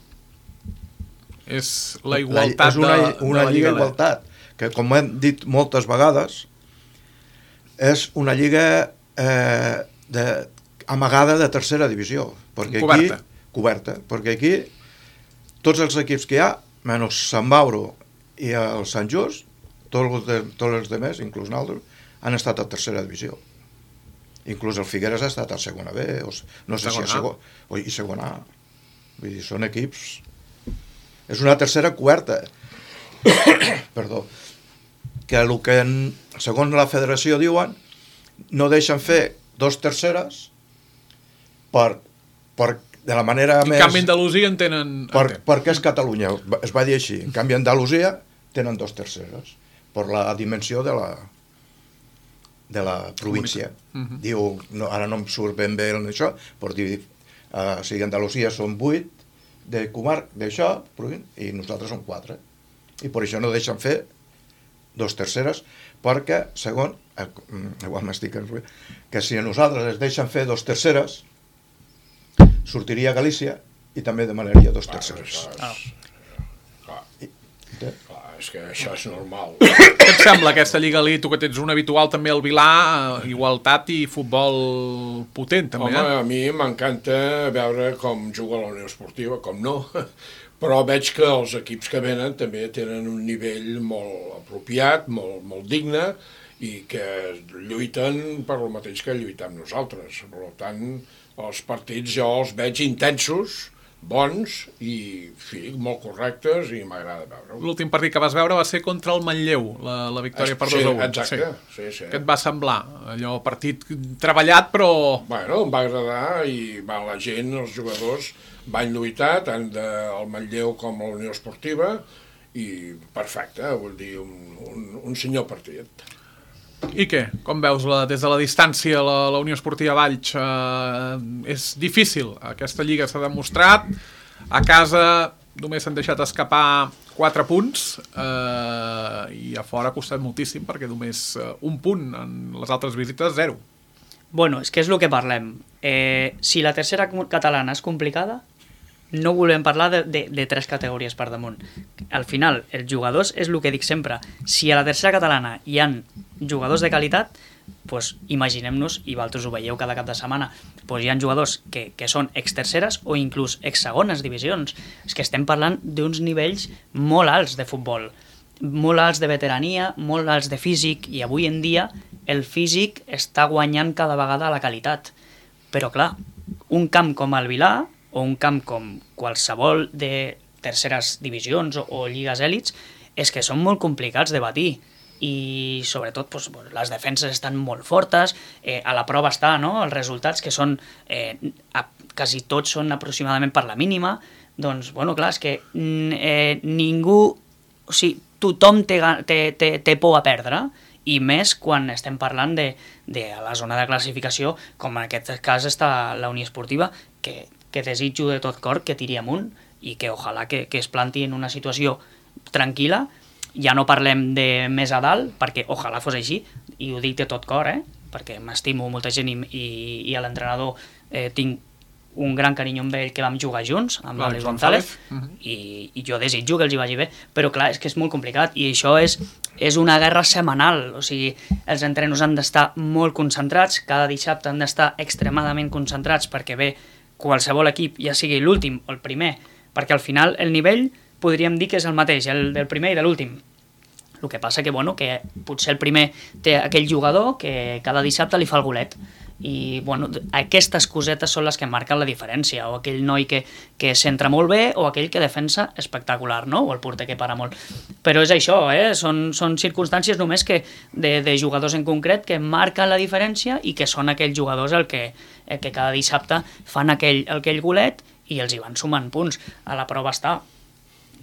És la igualtat la, és una, de, una de la lliga lliga igualtat, que com hem dit moltes vegades, és una lliga eh, de, amagada de tercera divisió. Perquè coberta. Aquí, coberta. Perquè aquí tots els equips que hi ha, menys Sant Mauro i el Sant Just, tots els, de, tots els demés, inclús nosaltres, han estat a tercera divisió. Inclús el Figueres ha estat a segona B, o no sé si a segona, o i segona A. Vull dir, són equips... És una tercera coberta. Perdó. Que el que, en, segons la federació diuen, no deixen fer dos terceres per, per de la manera en més... En canvi, Andalusia en tenen... Per, perquè és Catalunya, es va dir així. En canvi, Andalusia tenen dos terceres, per la dimensió de la, de la província. Uh-huh. Diu, no, ara no em surt ben bé això, però dir, uh, o sigui, Andalusia són vuit de comar d'això, i nosaltres som quatre. I per això no deixen fer dos terceres, perquè, segons, igual m'estic enrotllant, que si a nosaltres es deixen fer dos terceres, sortiria a Galícia i també demanaria dos terceres. Ah. Clar, clar, és que això és normal. Què et sembla aquesta Lliga Elite, tu que tens un habitual també al Vilà, igualtat i futbol potent també, Home, eh? a mi m'encanta veure com juga la Unió Esportiva, com no, però veig que els equips que venen també tenen un nivell molt apropiat, molt, molt digne, i que lluiten per el mateix que lluitem nosaltres. Per tant, els partits jo els veig intensos, bons i, fi, molt correctes i m'agrada veure-ho. L'últim partit que vas veure va ser contra el Manlleu, la, la victòria per dos a un. Exacte, sí, sí. Què et va semblar? Allò, partit treballat, però... Bueno, em va agradar i va, la gent, els jugadors, van lluitar tant del Manlleu com la Unió Esportiva i perfecte, vull dir, un, un, un senyor partit. I què? Com veus la, des de la distància la, la Unió Esportiva Valls? Eh, és difícil, aquesta lliga s'ha demostrat, a casa només s'han deixat escapar quatre punts eh, i a fora ha costat moltíssim perquè només eh, un punt en les altres visites, zero. Bueno, és que és el que parlem. Eh, si la tercera catalana és complicada, no volem parlar de, de, de tres categories per damunt. Al final, els jugadors, és el que dic sempre, si a la tercera catalana hi ha jugadors de qualitat, pues, imaginem-nos, i vosaltres ho veieu cada cap de setmana, pues, hi ha jugadors que, que són ex-terceres o inclús ex-segones divisions. És que estem parlant d'uns nivells molt alts de futbol, molt alts de veterania, molt alts de físic, i avui en dia el físic està guanyant cada vegada la qualitat. Però clar, un camp com el Vilà, o un camp com qualsevol de terceres divisions o, o lligues èlits, és que són molt complicats de batir. I sobretot doncs, les defenses estan molt fortes, eh, a la prova està, no?, els resultats que són, eh, a, quasi tots són aproximadament per la mínima, doncs, bueno, clar, és que eh, ningú, o sigui, tothom té, té, té, té por a perdre, i més quan estem parlant de, de la zona de classificació, com en aquest cas està la Unió Esportiva, que que desitjo de tot cor que tiri amunt i que ojalà que, que es planti en una situació tranquil·la. Ja no parlem de més a dalt, perquè ojalà fos així, i ho dic de tot cor, eh? Perquè m'estimo molta gent i, i, i a l'entrenador eh, tinc un gran carinyo amb ell, que vam jugar junts, amb l'Àlex González, uh -huh. i, i jo desitjo que els hi vagi bé, però clar, és que és molt complicat, i això és, és una guerra setmanal, o sigui, els entrenos han d'estar molt concentrats, cada dissabte han d'estar extremadament concentrats, perquè bé, qualsevol equip, ja sigui l'últim o el primer, perquè al final el nivell podríem dir que és el mateix, el del primer i de l'últim. El que passa que, bueno, que potser el primer té aquell jugador que cada dissabte li fa el golet, i bueno, aquestes cosetes són les que marquen la diferència, o aquell noi que, que s'entra molt bé, o aquell que defensa espectacular, no?, o el porter que para molt. Però és això, eh? són, són circumstàncies només que de, de jugadors en concret que marquen la diferència i que són aquells jugadors el que, el que cada dissabte fan aquell, aquell golet i els hi van sumant punts. A la prova està.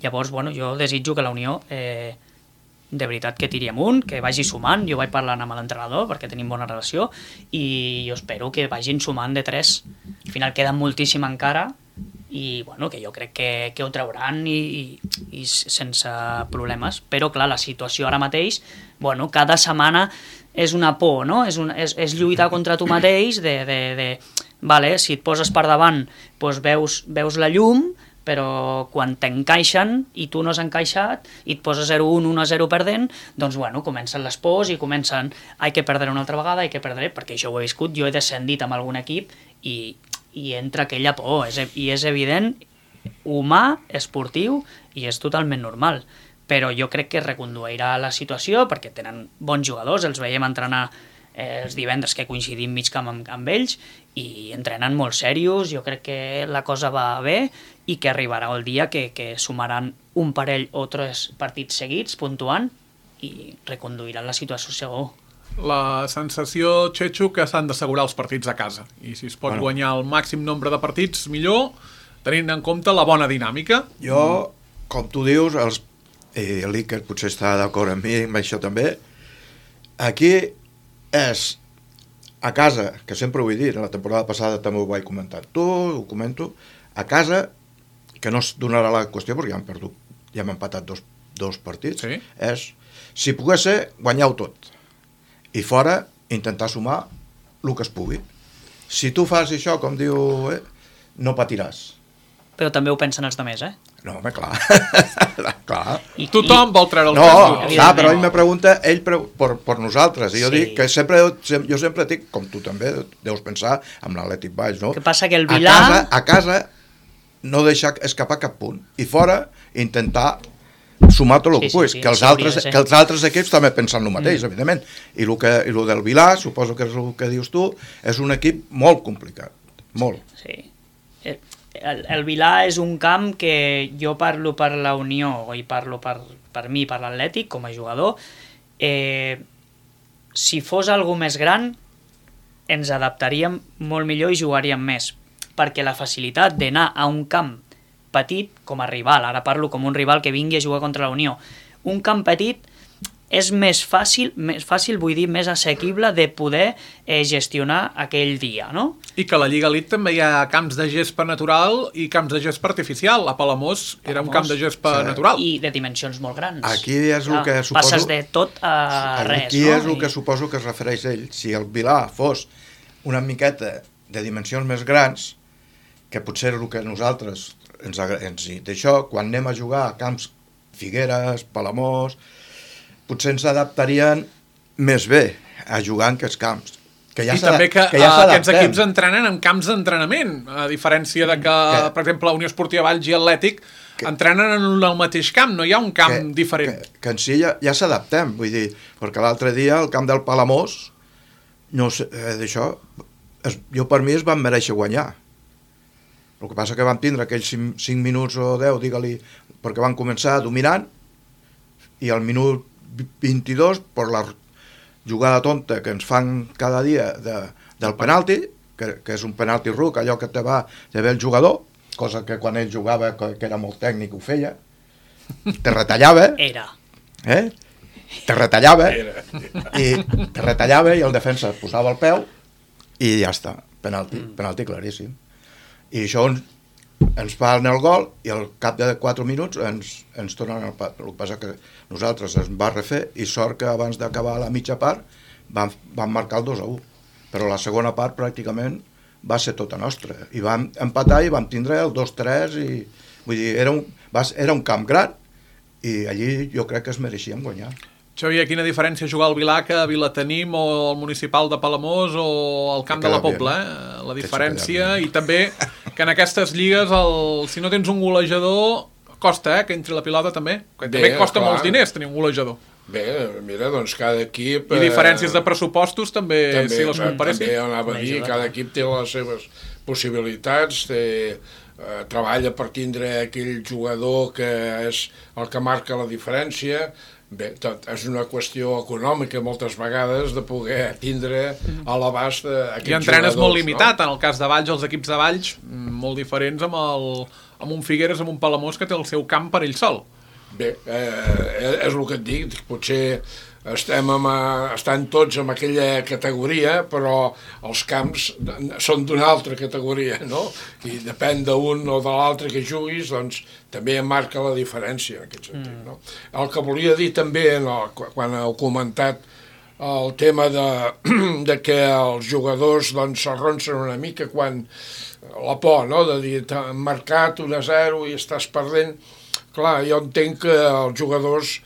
Llavors, bueno, jo desitjo que la Unió eh, de veritat que tiri amunt, que vagi sumant. Jo vaig parlant amb l'entrenador perquè tenim bona relació i jo espero que vagin sumant de tres. Al final queda moltíssim encara i bueno, que jo crec que, que ho trauran i, i, i sense problemes, però clar, la situació ara mateix, bueno, cada setmana és una por, no? És, un, és, és lluitar contra tu mateix de, de, de vale, si et poses per davant doncs veus, veus la llum, però quan t'encaixen i tu no has encaixat i et poses zero un, un a zero perdent, doncs bueno, comencen les pors i comencen hay que perdre una altra vegada, hay que perdre, perquè això ho he viscut, jo he descendit amb algun equip i, i entra aquella por, és, i és evident, humà, esportiu, i és totalment normal. Però jo crec que reconduirà la situació perquè tenen bons jugadors, els veiem entrenar eh, els divendres que coincidim mig camp amb, amb ells i entrenen molt serios, jo crec que la cosa va bé i que arribarà el dia que, que sumaran un parell o tres partits seguits puntuant i reconduiran la situació segur. La sensació, Chechu, que s'han d'assegurar els partits a casa i si es pot bueno. guanyar el màxim nombre de partits millor, tenint en compte la bona dinàmica. Jo, com tu dius, els i l'Iker potser està d'acord amb mi amb això també, aquí és a casa, que sempre ho he dit, la temporada passada també ho vaig comentar tu, ho comento, a casa, que no es donarà la qüestió perquè ja hem perdut, ja hem empatat dos, dos partits, sí. És, si pogués ser, guanyar-ho tot. i fora intentar sumar el que es pugui. Si tu fas això, com diu, eh, no patiràs. Però també ho pensen els altres, eh? No, home, clar. clar. I, Tothom i... vol treure el no, tres. clar, però ell me pregunta, ell pre... per, per nosaltres, i jo sí. dic que sempre, jo sempre dic, com tu també deus pensar, amb l'Atlètic Valls, no? Que passa que el Vilà... A casa, a casa no deixar escapar cap punt, i fora intentar sumar tot el sí, que puguis, sí, sí, que, els sí, altres, sí. que els altres equips també pensen el mateix, mm. evidentment, i el, que, i el del Vilà, suposo que és el que dius tu, és un equip molt complicat, molt. Sí, sí. El, el Vilà és un camp que jo parlo per la Unió i parlo per, per mi, per l'Atlètic, com a jugador. Eh, si fos algú més gran, ens adaptaríem molt millor i jugaríem més, perquè la facilitat d'anar a un camp petit, com a rival, ara parlo com un rival que vingui a jugar contra la Unió, un camp petit és més fàcil, més fàcil, vull dir, més assequible de poder eh, gestionar aquell dia, no? I que a la Lliga Elite també hi ha camps de gespa natural i camps de gespa artificial. A Palamós era un camp de gespa sí. natural. I de dimensions molt grans. Aquí és el que suposo... Passes de tot a res, aquí no? és el I... que suposo que es refereix ell. Si el Vilà fos una miqueta de dimensions més grans, que potser el que nosaltres ens, ens d'això, quan anem a jugar a camps Figueres, Palamós, potser ens adaptarien més bé a jugar en aquests camps. Que ja I també que, que ja uh, aquests equips entrenen en camps d'entrenament, a diferència de que, que, per exemple, la Unió Esportiva Valls i Atlètic que, entrenen en el mateix camp, no hi ha un camp que, diferent. Que, que en si ja, ja s'adaptem, vull dir, perquè l'altre dia el camp del Palamós, no sé, eh, d'això, es, jo per mi es van mereixer guanyar. El que passa que vam tindre aquells cinc minuts o deu, digue-li, perquè van començar dominant, i al minut vint-i-dos, per la jugada tonta que ens fan cada dia de, del penalti, que, que és un penalti ruc, allò que te va de bé el jugador, cosa que quan ell jugava, que, que era molt tècnic, ho feia, te retallava. Era. Eh? Te retallava, i te retallava i el defensa posava el peu i ja està, penalti, mm. penalti claríssim. I això ens, ens fan el gol i al cap de quatre minuts ens, ens tornen el pat. El que passa que nosaltres ens va refer i sort que abans d'acabar la mitja part vam, vam marcar el dos a u, però la segona part pràcticament va ser tota nostra i vam empatar i vam tindre el dos tres i vull dir, era un, va, era un camp gran i allí jo crec que es mereixíem guanyar. Xavier, quina diferència jugar al Vilà que a Vilatenim o al Municipal de Palamós o al Camp de la Pobla, eh? La diferència, i també que en aquestes lligues el, si no tens un golejador costa, eh? Que entri la pilota també, que també Bé, costa clar. molts diners tenir un golejador. Bé, mira, doncs cada equip... I diferències de pressupostos també, també si les comparessin. També anava a dir, cada equip té les seves possibilitats, té, eh, treballa per tindre aquell jugador que és el que marca la diferència. Bé, tot és una qüestió econòmica moltes vegades de poder tindre a l'abast aquests jugadors. I entrenes molt limitat, no? En el cas de Valls, els equips de Valls, molt diferents amb, el, amb un Figueres, amb un Palamós que té el seu camp per ell sol. Bé, eh, és el que et dic, potser estem amb, estan tots en aquella categoria, però els camps són d'una altra categoria, no? I depèn d'un o de l'altre que juguis, doncs també marca la diferència en aquest sentit, mm. no? El que volia dir també, no, quan heu comentat el tema de, de que els jugadors doncs s'arronsen una mica quan la por, no?, de dir, t'han marcat un a zero i estàs perdent. Clar, jo entenc que els jugadors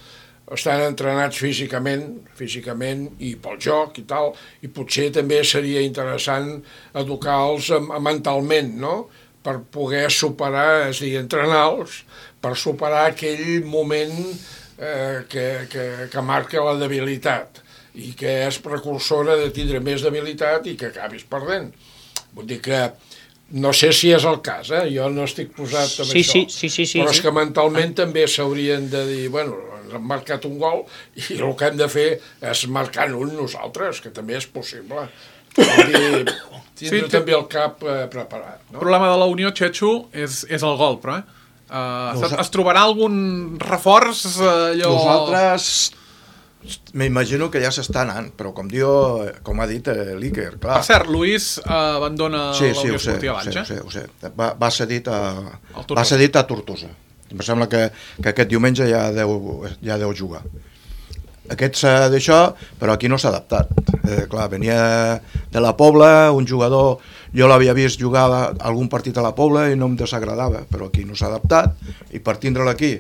estan entrenats físicament, físicament i pel joc i tal, i potser també seria interessant educar-los mentalment, no?, per poder superar, és a dir, entrenar-los, per superar aquell moment eh, que, que, que marca la debilitat i que és precursora de tindre més debilitat i que acabis perdent. Vull dir que no sé si és el cas, eh? Jo no estic posat amb sí, això, sí, sí, sí, sí, però és sí. que mentalment ah. també s'haurien de dir, bueno, ens han marcat un gol i el que hem de fer és marcar un nosaltres, que també és possible. Vull dir, tindre sí, també el cap eh, preparat. No? El problema de la Unió, Xetxo, és, és el gol, però, eh? Uh, Nosa... Es trobarà algun reforç? Allò... Nosaltres... M'imagino que ja s'està anant, però com diu, com ha dit l'Iker, clar. Per cert, Luis uh, abandona sí, la sí, Unió Esportiva Valls, eh? Sí, ho sé, ho sé. Va, va cedit a, va cedit a Tortosa. Em sembla que, que aquest diumenge ja deu, ja deu jugar. aquest s'ha d'això, però aquí no s'ha adaptat. Eh, clar, venia de la Pobla, un jugador, jo l'havia vist jugar algun partit a la Pobla i no em desagradava, però aquí no s'ha adaptat, i per tindre'l aquí,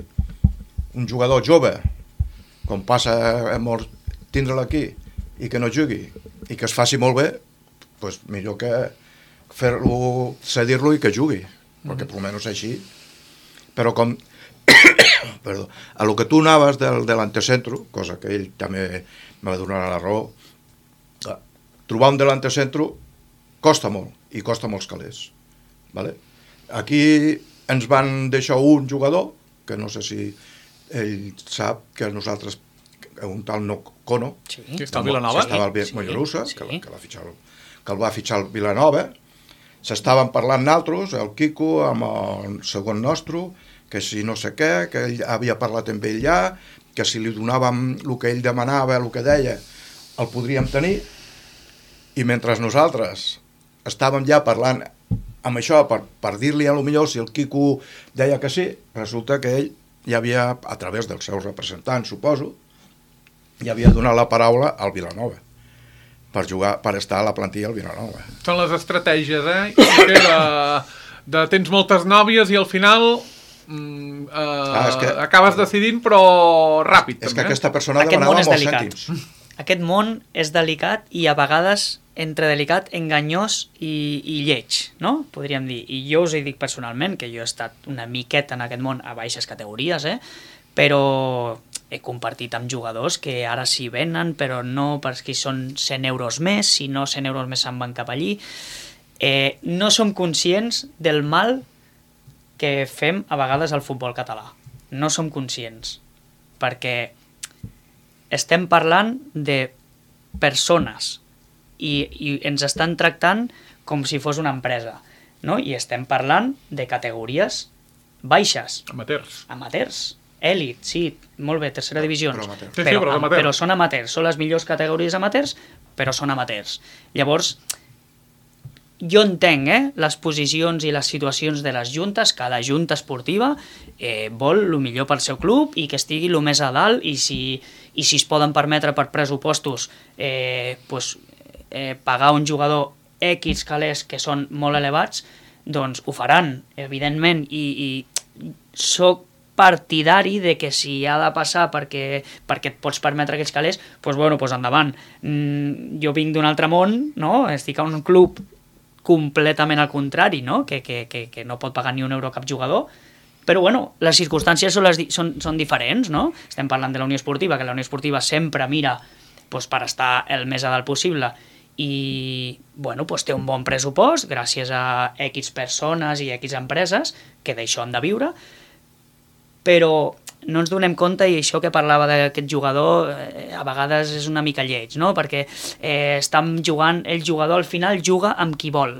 un jugador jove, com passa a molts, tindre'l aquí i que no jugui, i que es faci molt bé, doncs millor que fer-lo, cedir-lo i que jugui, perquè per almenys així. Però com perdó, a lo que tu anaves del, de l'antecentro, cosa que ell també me va donar la raó, trobar un de l'antecentro costa molt, i costa molts calés. Vale? Aquí ens van deixar un jugador, que no sé si ell sap que nosaltres, un tal Nocono, Sí. Que està a Vilanova. que estava al Sí, Mollerussa, sí. que, la- que, la fitxar, que el va fitxar el Vilanova, s'estaven parlant naltros, el Quico amb el segon nostre, que si no sé què, que ell havia parlat amb ell ja, que si li donàvem el que ell demanava, el que deia, el podríem tenir, i mentre nosaltres estàvem ja parlant amb això per, per dir-li a lo millor si el Quico deia que sí, resulta que ell ja havia, a través dels seus representants, suposo, ja havia donat la paraula al Vilanova per jugar, per estar a la plantilla al Vilanova. Són les estratègies, eh? I que de, de tens moltes nòvies i al final mm, eh, Ah, és que- acabes decidint, però ràpid, És també. que aquesta persona Aquest demanava món és molts delicat. cèntims. Aquest món és delicat i a vegades entre delicat, enganyós i, i lleig, no? Podríem dir. I jo us he dit personalment que jo he estat una miqueta en aquest món a baixes categories, eh? Però he compartit amb jugadors que ara sí venen, però no perquè són cent euros més, si no cent euros més se'n van cap allí. Eh, no som conscients del mal que fem a vegades al futbol català. No som conscients, perquè estem parlant de persones i, i ens estan tractant com si fos una empresa, no? I estem parlant de categories baixes, Amateurs. amateurs, èlit, sí, molt bé, tercera divisió, però amateurs. Sí, sí, però amateurs. però són amateurs, són les millors categories amateurs, però són amateurs. Llavors, jo entenc eh, les posicions i les situacions de les juntes, cada junta esportiva eh, vol el millor pel seu club i que estigui el més a dalt i si, i si es poden permetre per pressupostos eh, pues, eh, pagar un jugador X calés que són molt elevats, doncs ho faran, evidentment, i, i soc partidari de que si ha de passar perquè, perquè et pots permetre aquells calés, doncs bueno, doncs endavant. Mm, jo vinc d'un altre món, no? Estic a un club completament al contrari, no? Que, que, que, que no pot pagar ni un euro a cap jugador, però bueno, les circumstàncies són, les, di- són, són diferents, no? Estem parlant de la Unió Esportiva, que la Unió Esportiva sempre mira doncs, per estar el més a dalt possible i bueno, doncs té un bon pressupost gràcies a X persones i X empreses que d'això han de viure, però no ens donem compte, i això que parlava d'aquest jugador eh, a vegades és una mica lleig, no? Perquè eh, estan jugant, el jugador al final juga amb qui vol,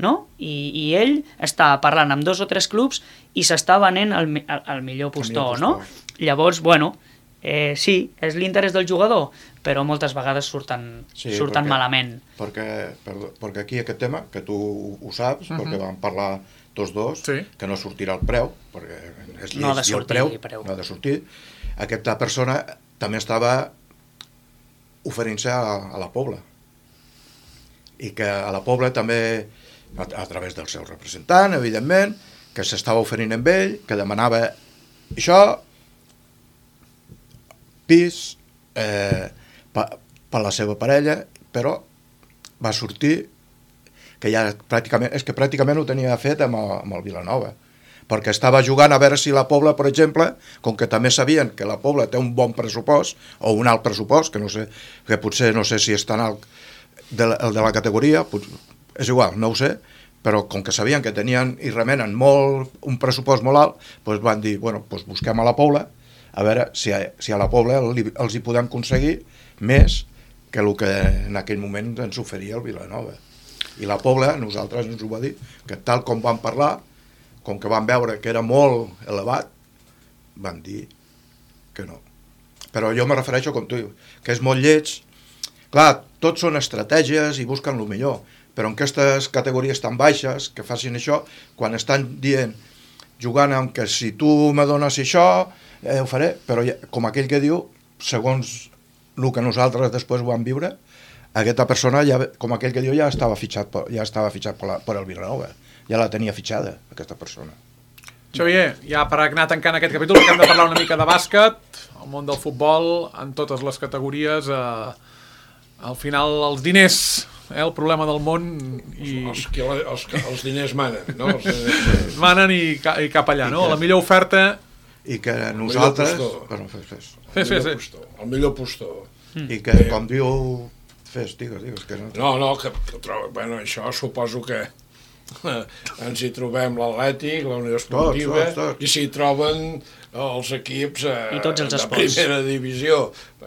no? I, i ell està parlant amb dos o tres clubs i s'està venent al, mi- al, al millor postor, millor no? postor. Llavors, bueno, eh, sí, és l'interès del jugador, però moltes vegades surten, Sí, surten perquè- malament. Perquè, perdó, perquè aquí aquest tema, que tu ho saps, uh -huh. perquè vam parlar tots dos, Sí. que no sortirà el preu, perquè és No ha de lleig i el sortir preu, el preu. no ha de sortir. Aquesta persona també estava oferint-se a, a la Pobla. I que a la Pobla també, a, a través del seu representant, evidentment, que s'estava oferint amb ell, que demanava això, pis, eh, per pa la seva parella, però va sortir que ja pràcticament, és que pràcticament ho tenia fet amb el, amb el Vilanova, perquè estava jugant a veure si la Pobla, per exemple, com que també sabien que la Pobla té un bon pressupost, o un alt pressupost, que no sé, que potser no sé si és tan alt de la, el de la categoria, pot, és igual, no ho sé, però com que sabien que tenien i remenen molt, un pressupost molt alt, doncs van dir, bueno, doncs busquem a la Pobla, a veure si a, si a la Pobla li, els hi podem aconseguir més que el que en aquell moment ens oferia el Vilanova. I la Pobla, nosaltres ens ho va dir, que tal com vam parlar, com que van veure que era molt elevat, van dir que no. Però jo me refereixo, com tu dius, que és molt lleig. Clar, tots són estratègies i busquen el millor, però en aquestes categories tan baixes que facin això, quan estan dient, jugant amb que si tu me dones això, eh, ho faré, però ja, com aquell que diu, segons el que nosaltres després ho vam viure, aquesta persona, ja, com aquell que diu, ja estava fitxat, ja estava fitxat per, la, per el Vilanova, ja la tenia fitxada, aquesta persona. Xavier, ja per anar tancant aquest capítol, que hem de parlar una mica de bàsquet, el món del futbol, en totes les categories, eh, al final els diners, eh, el problema del món, i... Els, els, els diners manen, no? Els diners... manen i, i cap allà, no? La millor oferta... I que nosaltres... Bueno, fes, fes. Fes, fes, fes. El millor postor. I que, com diu... Fes, digues, digues. Que no... no, no, que, que trobo... Bueno, això suposo que ens hi trobem l'Atlètic, la Unió Esportiva, tots, tots, tots. i s'hi troben els equips eh, I tots els de esports. primera divisió.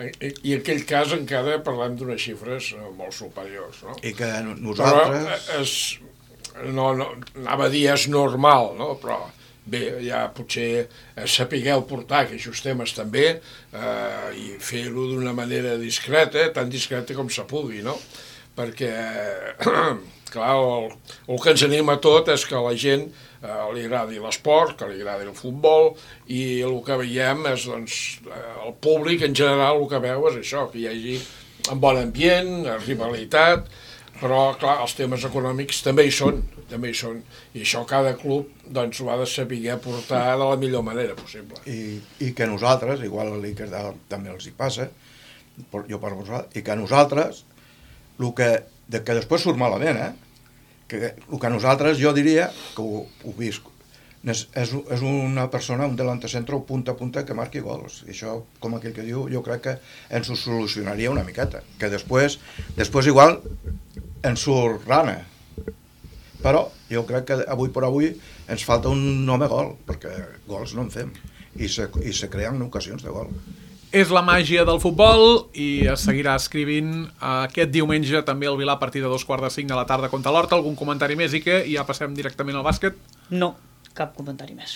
I, i en aquell cas encara parlem d'unes xifres eh, molt superiors, no? I que nosaltres... Però és, no, no, anava a dir és normal, no? Però bé, ja potser sapigueu portar aquests temes també eh, i fer-ho d'una manera discreta, tan discreta com se pugui, no? Perquè, clar, el, el que ens anima tot és que a la gent eh, li agradi l'esport, que li agradi el futbol, i el que veiem és, doncs, eh, el públic en general el que veu és això, que hi hagi un bon ambient, rivalitat, però, clar, els temes econòmics també hi són, també hi són, i això cada club, doncs, ho ha de saber portar de la millor manera possible. I, i que nosaltres, igual a l'Iker també els hi passa, jo per vosaltres, i que nosaltres, el que, de, que després surt malament, eh? Que el que nosaltres, jo diria, que ho, ho visc, és, és una persona, un delantecentro punta a punta que marqui gols. I això, com aquell que diu, jo crec que ens ho solucionaria una miqueta. Que després, després igual, ens surt rana. Però jo crec que avui per avui ens falta un home gol, perquè gols no en fem. I se, i se creen ocasions de gol. És la màgia del futbol i es seguirà escrivint aquest diumenge també al Vilà a partir de dos quarts de cinc de la tarda contra l'Horta. Algun comentari més, Ike? I ja passem directament al bàsquet? No, cap comentari més.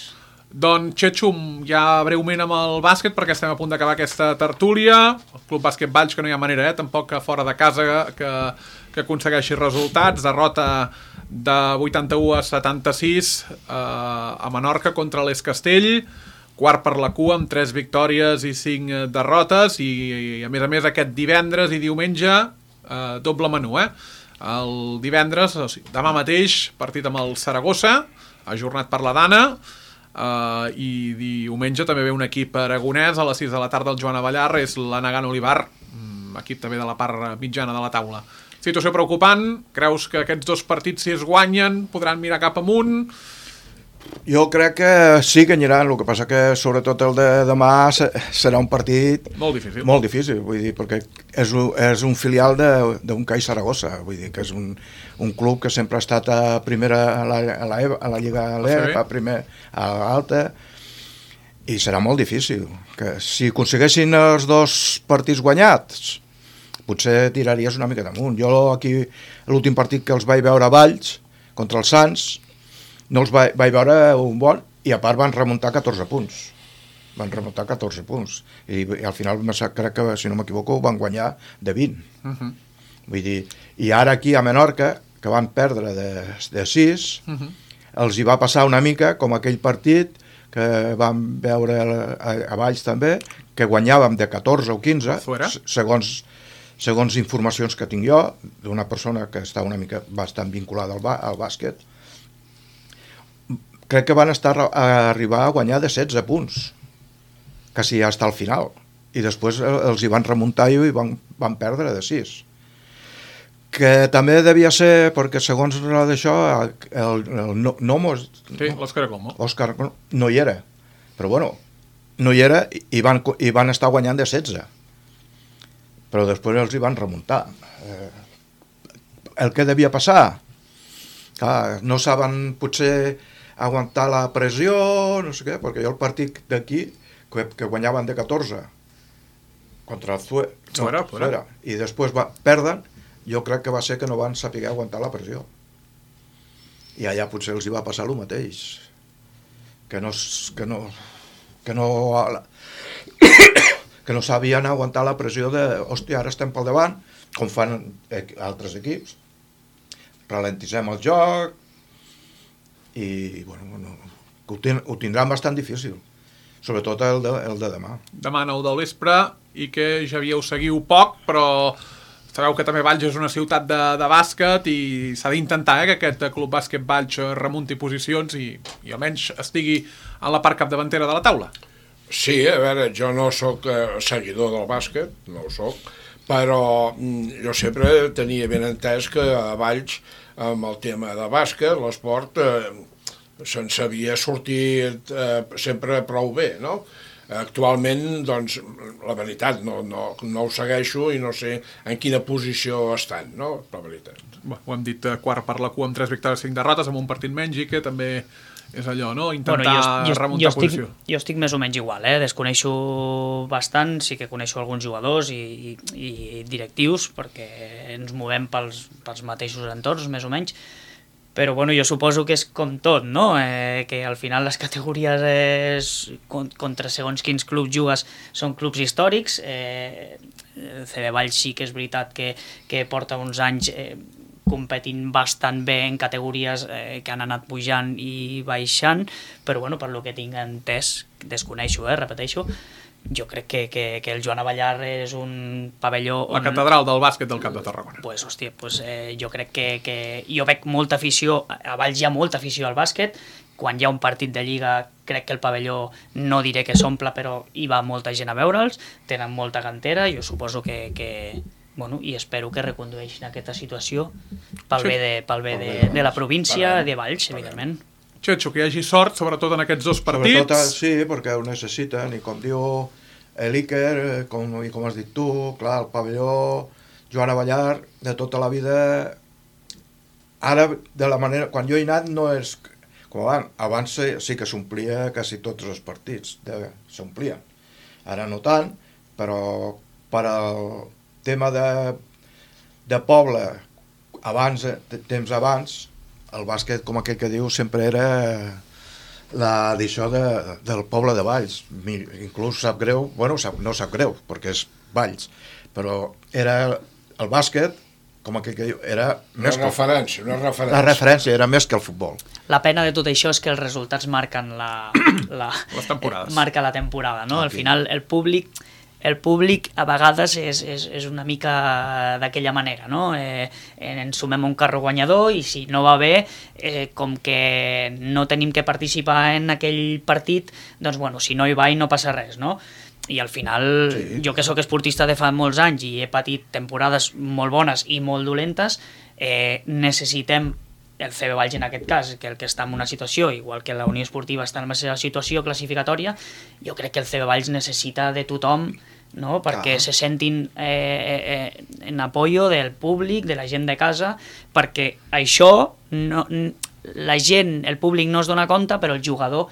Doncs, Xetxum, ja breument amb el bàsquet, perquè estem a punt d'acabar aquesta tertúlia. El Club Bàsquet Valls, que no hi ha manera, eh? Tampoc que fora de casa que, que aconsegueixi resultats. Derrota de vuitanta-u a setanta-sis eh, a Menorca contra l'Es Castell. Quart per la cua, amb tres victòries i cinc derrotes, i, i a més a més aquest divendres i diumenge eh, doble menú, eh? El divendres, o sigui, demà mateix, partit amb el Saragossa, ajornat per la Dana, eh, i diumenge també ve un equip aragonès, a les sis de la tarda el Joan Avellar, és l'Anagan Olivar, equip també de la part mitjana de la taula. Situació preocupant, creus que aquests dos partits, si es guanyen, podran mirar cap amunt? Jo crec que sí que aniran, el que passa que sobretot el de demà serà un partit molt difícil, molt difícil vull dir, perquè és un, és un filial d'un C A I Saragossa, vull dir que és un, un club que sempre ha estat a primera a la, a la, a la Lliga a l'E, a primer a l'Alta, i serà molt difícil. Que si aconsegueixin els dos partits guanyats, potser tiraries una mica damunt. Jo aquí, l'últim partit que els vaig veure a Valls, contra els Sants, no els vaig, vaig veure un bon, i a part van remuntar catorze punts. Van remuntar catorze punts. I, i al final, crec que, si no m'equivoco, van guanyar de vint. Uh-huh. Vull dir, i ara aquí a Menorca, que van perdre de, de sis, uh-huh. els hi va passar una mica com aquell partit que vam veure a, a Valls també, que guanyàvem de catorze o quinze, segons, segons informacions que tinc jo, d'una persona que està una mica bastant vinculada al, al bàsquet. Crec que van estar a arribar a guanyar de setze punts, quasi ja està al final, i després els hi van remuntar i van, van perdre de sis. Que també devia ser, perquè segons d'això, el, el Nomo... Sí, l'Òscar Como. Òscar no hi era, però bueno, no hi era i van, i van estar guanyant de setze. Però després els hi van remuntar. Eh, el que devia passar? Clar, no saben potser aguantar la pressió, no sé què, perquè jo el partit d'aquí, que, que guanyaven de catorze, contra el Zue, no, fuera, fuera. I després va, perden, jo crec que va ser que no van saber aguantar la pressió. I allà potser els hi va passar el mateix. Que no... Que no, que no, que no sabien aguantar la pressió de, hòstia, ara estem pel davant, com fan altres equips, ralentitzem el joc, i bueno, no, ho, ten, ho tindran bastant difícil, sobretot el de, el de demà. Demà nou del vespre i que ja havíeu seguiu poc, però sabeu que també Valls és una ciutat de, de bàsquet i s'ha d'intentar eh, que aquest Club Bàsquet Valls remunti posicions i, i almenys estigui en la part capdavantera de la taula. Sí, a veure, jo no sóc eh, seguidor del bàsquet, no ho sóc, però mm, jo sempre tenia ben entès que a Valls, amb el tema de bàsquet, l'esport, eh, se'n sabia sortir eh, sempre prou bé, no? Actualment, doncs, la veritat, no, no, no ho segueixo i no sé en quina posició estan, no? La veritat. Bé, ho hem dit eh, quart per la cua amb tres victòries, cinc derrotes, amb un partit menys i que també és allò, no? Intentar bueno, jo, jo, remuntar jo estic, posició. Jo estic més o menys igual, eh? Desconeixo bastant, sí que coneixo alguns jugadors i, i, i directius, perquè ens movem pels, pels mateixos entorns, més o menys, però bueno, jo suposo que és com tot, no? Eh, que al final les categories és, contra segons quins clubs jugues són clubs històrics. Eh, C B Valls sí que és veritat que, que porta uns anys eh, competint bastant bé en categories eh, que han anat pujant i baixant, però bueno, per lo que tinc entès, desconeixo, eh, repeteixo, jo crec que, que, que el Joan Avellar és un pavelló... La on... catedral del bàsquet del Camp de Tarragona. Pues, hòstia, pues, eh, jo crec que, que... Jo veig molta afició, a Valls hi ha molta afició al bàsquet, quan hi ha un partit de Lliga crec que el pavelló no diré que s'omple, però hi va molta gent a veure'ls, tenen molta cantera, jo suposo que... que bueno, i espero que recondueixin aquesta situació pel Sí. bé de, pel bé de, de la província, de Valls, evidentment. Xetxo, que hi hagi sort, sobretot en aquests dos partits. Sobretot, sí, perquè ho necessiten, i com diu l'Iker, com, i com has dit tu, clar, el pavelló Joan Avellar, de tota la vida, ara, de la manera, quan jo he anat, no és com abans, abans sí que s'omplia quasi tots els partits, s'omplien, ara no tant, però per al tema de, de poble, abans, temps abans, el bàsquet, com aquell que diu, sempre era l'edició de, del poble de Valls. Inclús sap greu, bueno, sap, no sap greu, perquè és Valls, però era el bàsquet, com aquell que diu, era Una més que referència, una referència. la referència era més que el futbol. La pena de tot això és que els resultats marquen la, la, Les temporades. marca la temporada, no? Al Aquí. final el públic el públic a vegades és, és, és una mica d'aquella manera, no? Eh, ens sumem a un carro guanyador i si no va bé, eh, com que no tenim que participar en aquell partit, doncs bueno, si no hi va i no passa res, no? I al final, Sí. jo que sóc esportista de fa molts anys i he patit temporades molt bones i molt dolentes, eh, necessitem el C B Valls en aquest cas, que el que està en una situació, igual que la Unió Esportiva està en la seva situació classificatòria, jo crec que el C B Valls necessita de tothom, no? Perquè Clar. se sentin eh, eh, en apoyo del públic, de la gent de casa, perquè això, no, la gent, el públic no es dona compte, però el jugador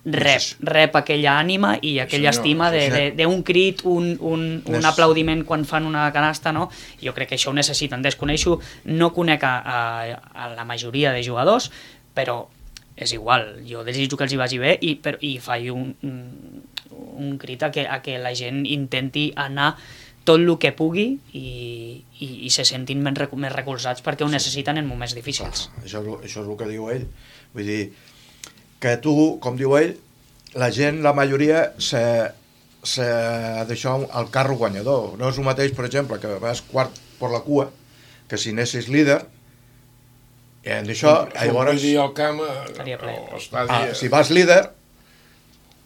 rep, rep aquella ànima i aquella senyor, estima sí, de- de- d'un crit, un, un, un Nes- aplaudiment quan fan una canasta, no? Jo crec que això ho necessiten. Desconeixo, no conec a, a, a la majoria de jugadors, però és igual, jo desitjo que els hi vagi bé i, però, i faig un, un, un crit a que, a que la gent intenti anar tot el que pugui i, i, i se sentin més, recu- més recolzats perquè ho necessiten en moments difícils. Això, és el- això és el que diu ell. Vull dir, que tu, com diu ell, la gent, la majoria, se, se d'això al carro guanyador. No és el mateix, per exemple, que vas quart per la cua, que si anessis líder, i en això, llavors, Sortir al camp, Estaria ple. a l'estadi... ah, si vas líder,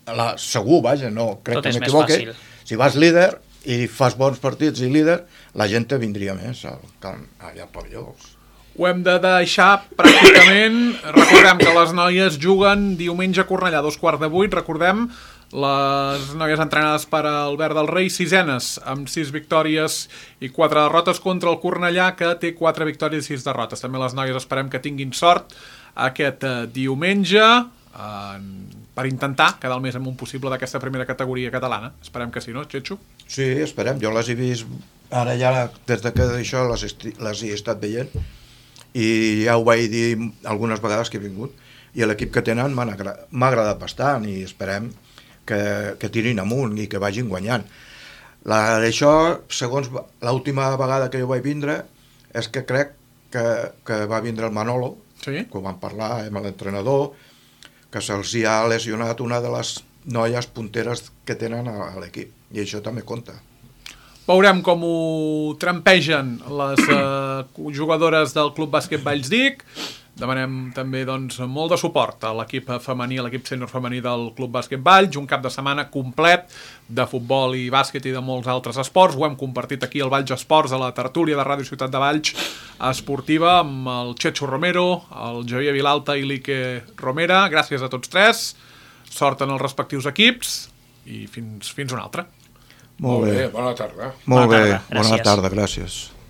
la, segur, vaja, no crec Tot que és més m'equivoque, fàcil. si vas líder i fas bons partits i líder, la gent te vindria més al camp, allà al pavelló. Ho hem de deixar pràcticament. Recordem que les noies juguen diumenge a Cornellà, dos quarts de vuit. Recordem, les noies entrenades per Albert del Rei, sisenes, amb sis victòries i quatre derrotes contra el Cornellà, que té quatre victòries i sis derrotes. També les noies esperem que tinguin sort aquest eh, diumenge eh, per intentar quedar el més en un possible d'aquesta primera categoria catalana. Esperem que sí, no, Xetxo? Sí, esperem. Jo les he vist ara ja, des de que d'això les, esti- les he estat veient, i ja ho vaig dir algunes vegades que he vingut, i l'equip que tenen m'han agra- m'ha agradat bastant i esperem que, que tirin amunt i que vagin guanyant. La d'això, segons va- l'última vegada que jo vaig vindre, és que crec que, que va vindre el Manolo, Sí. que ho vam parlar amb l'entrenador, que se'ls hi ha lesionat una de les noies punteres que tenen a, a l'equip, i això també compta. Veurem com ho trampegen les eh, jugadores del Club Bàsquet Vallsdic. Demanem també doncs, molt de suport a l'equip femení, a l'equip sènior femení del Club Bàsquet Valls, un cap de setmana complet de futbol i bàsquet i de molts altres esports. Ho hem compartit aquí al Valls Esports, a la tertúlia de Ràdio Ciutat de Valls esportiva, amb el Checho Romero, el Javier Vilalta i l'Ike Romera. Gràcies a tots tres, sort en els respectius equips i fins, fins una altra. Molt bé. Bona tarda. Molt Bona bé, tarda, bona gràcies. tarda, gràcies.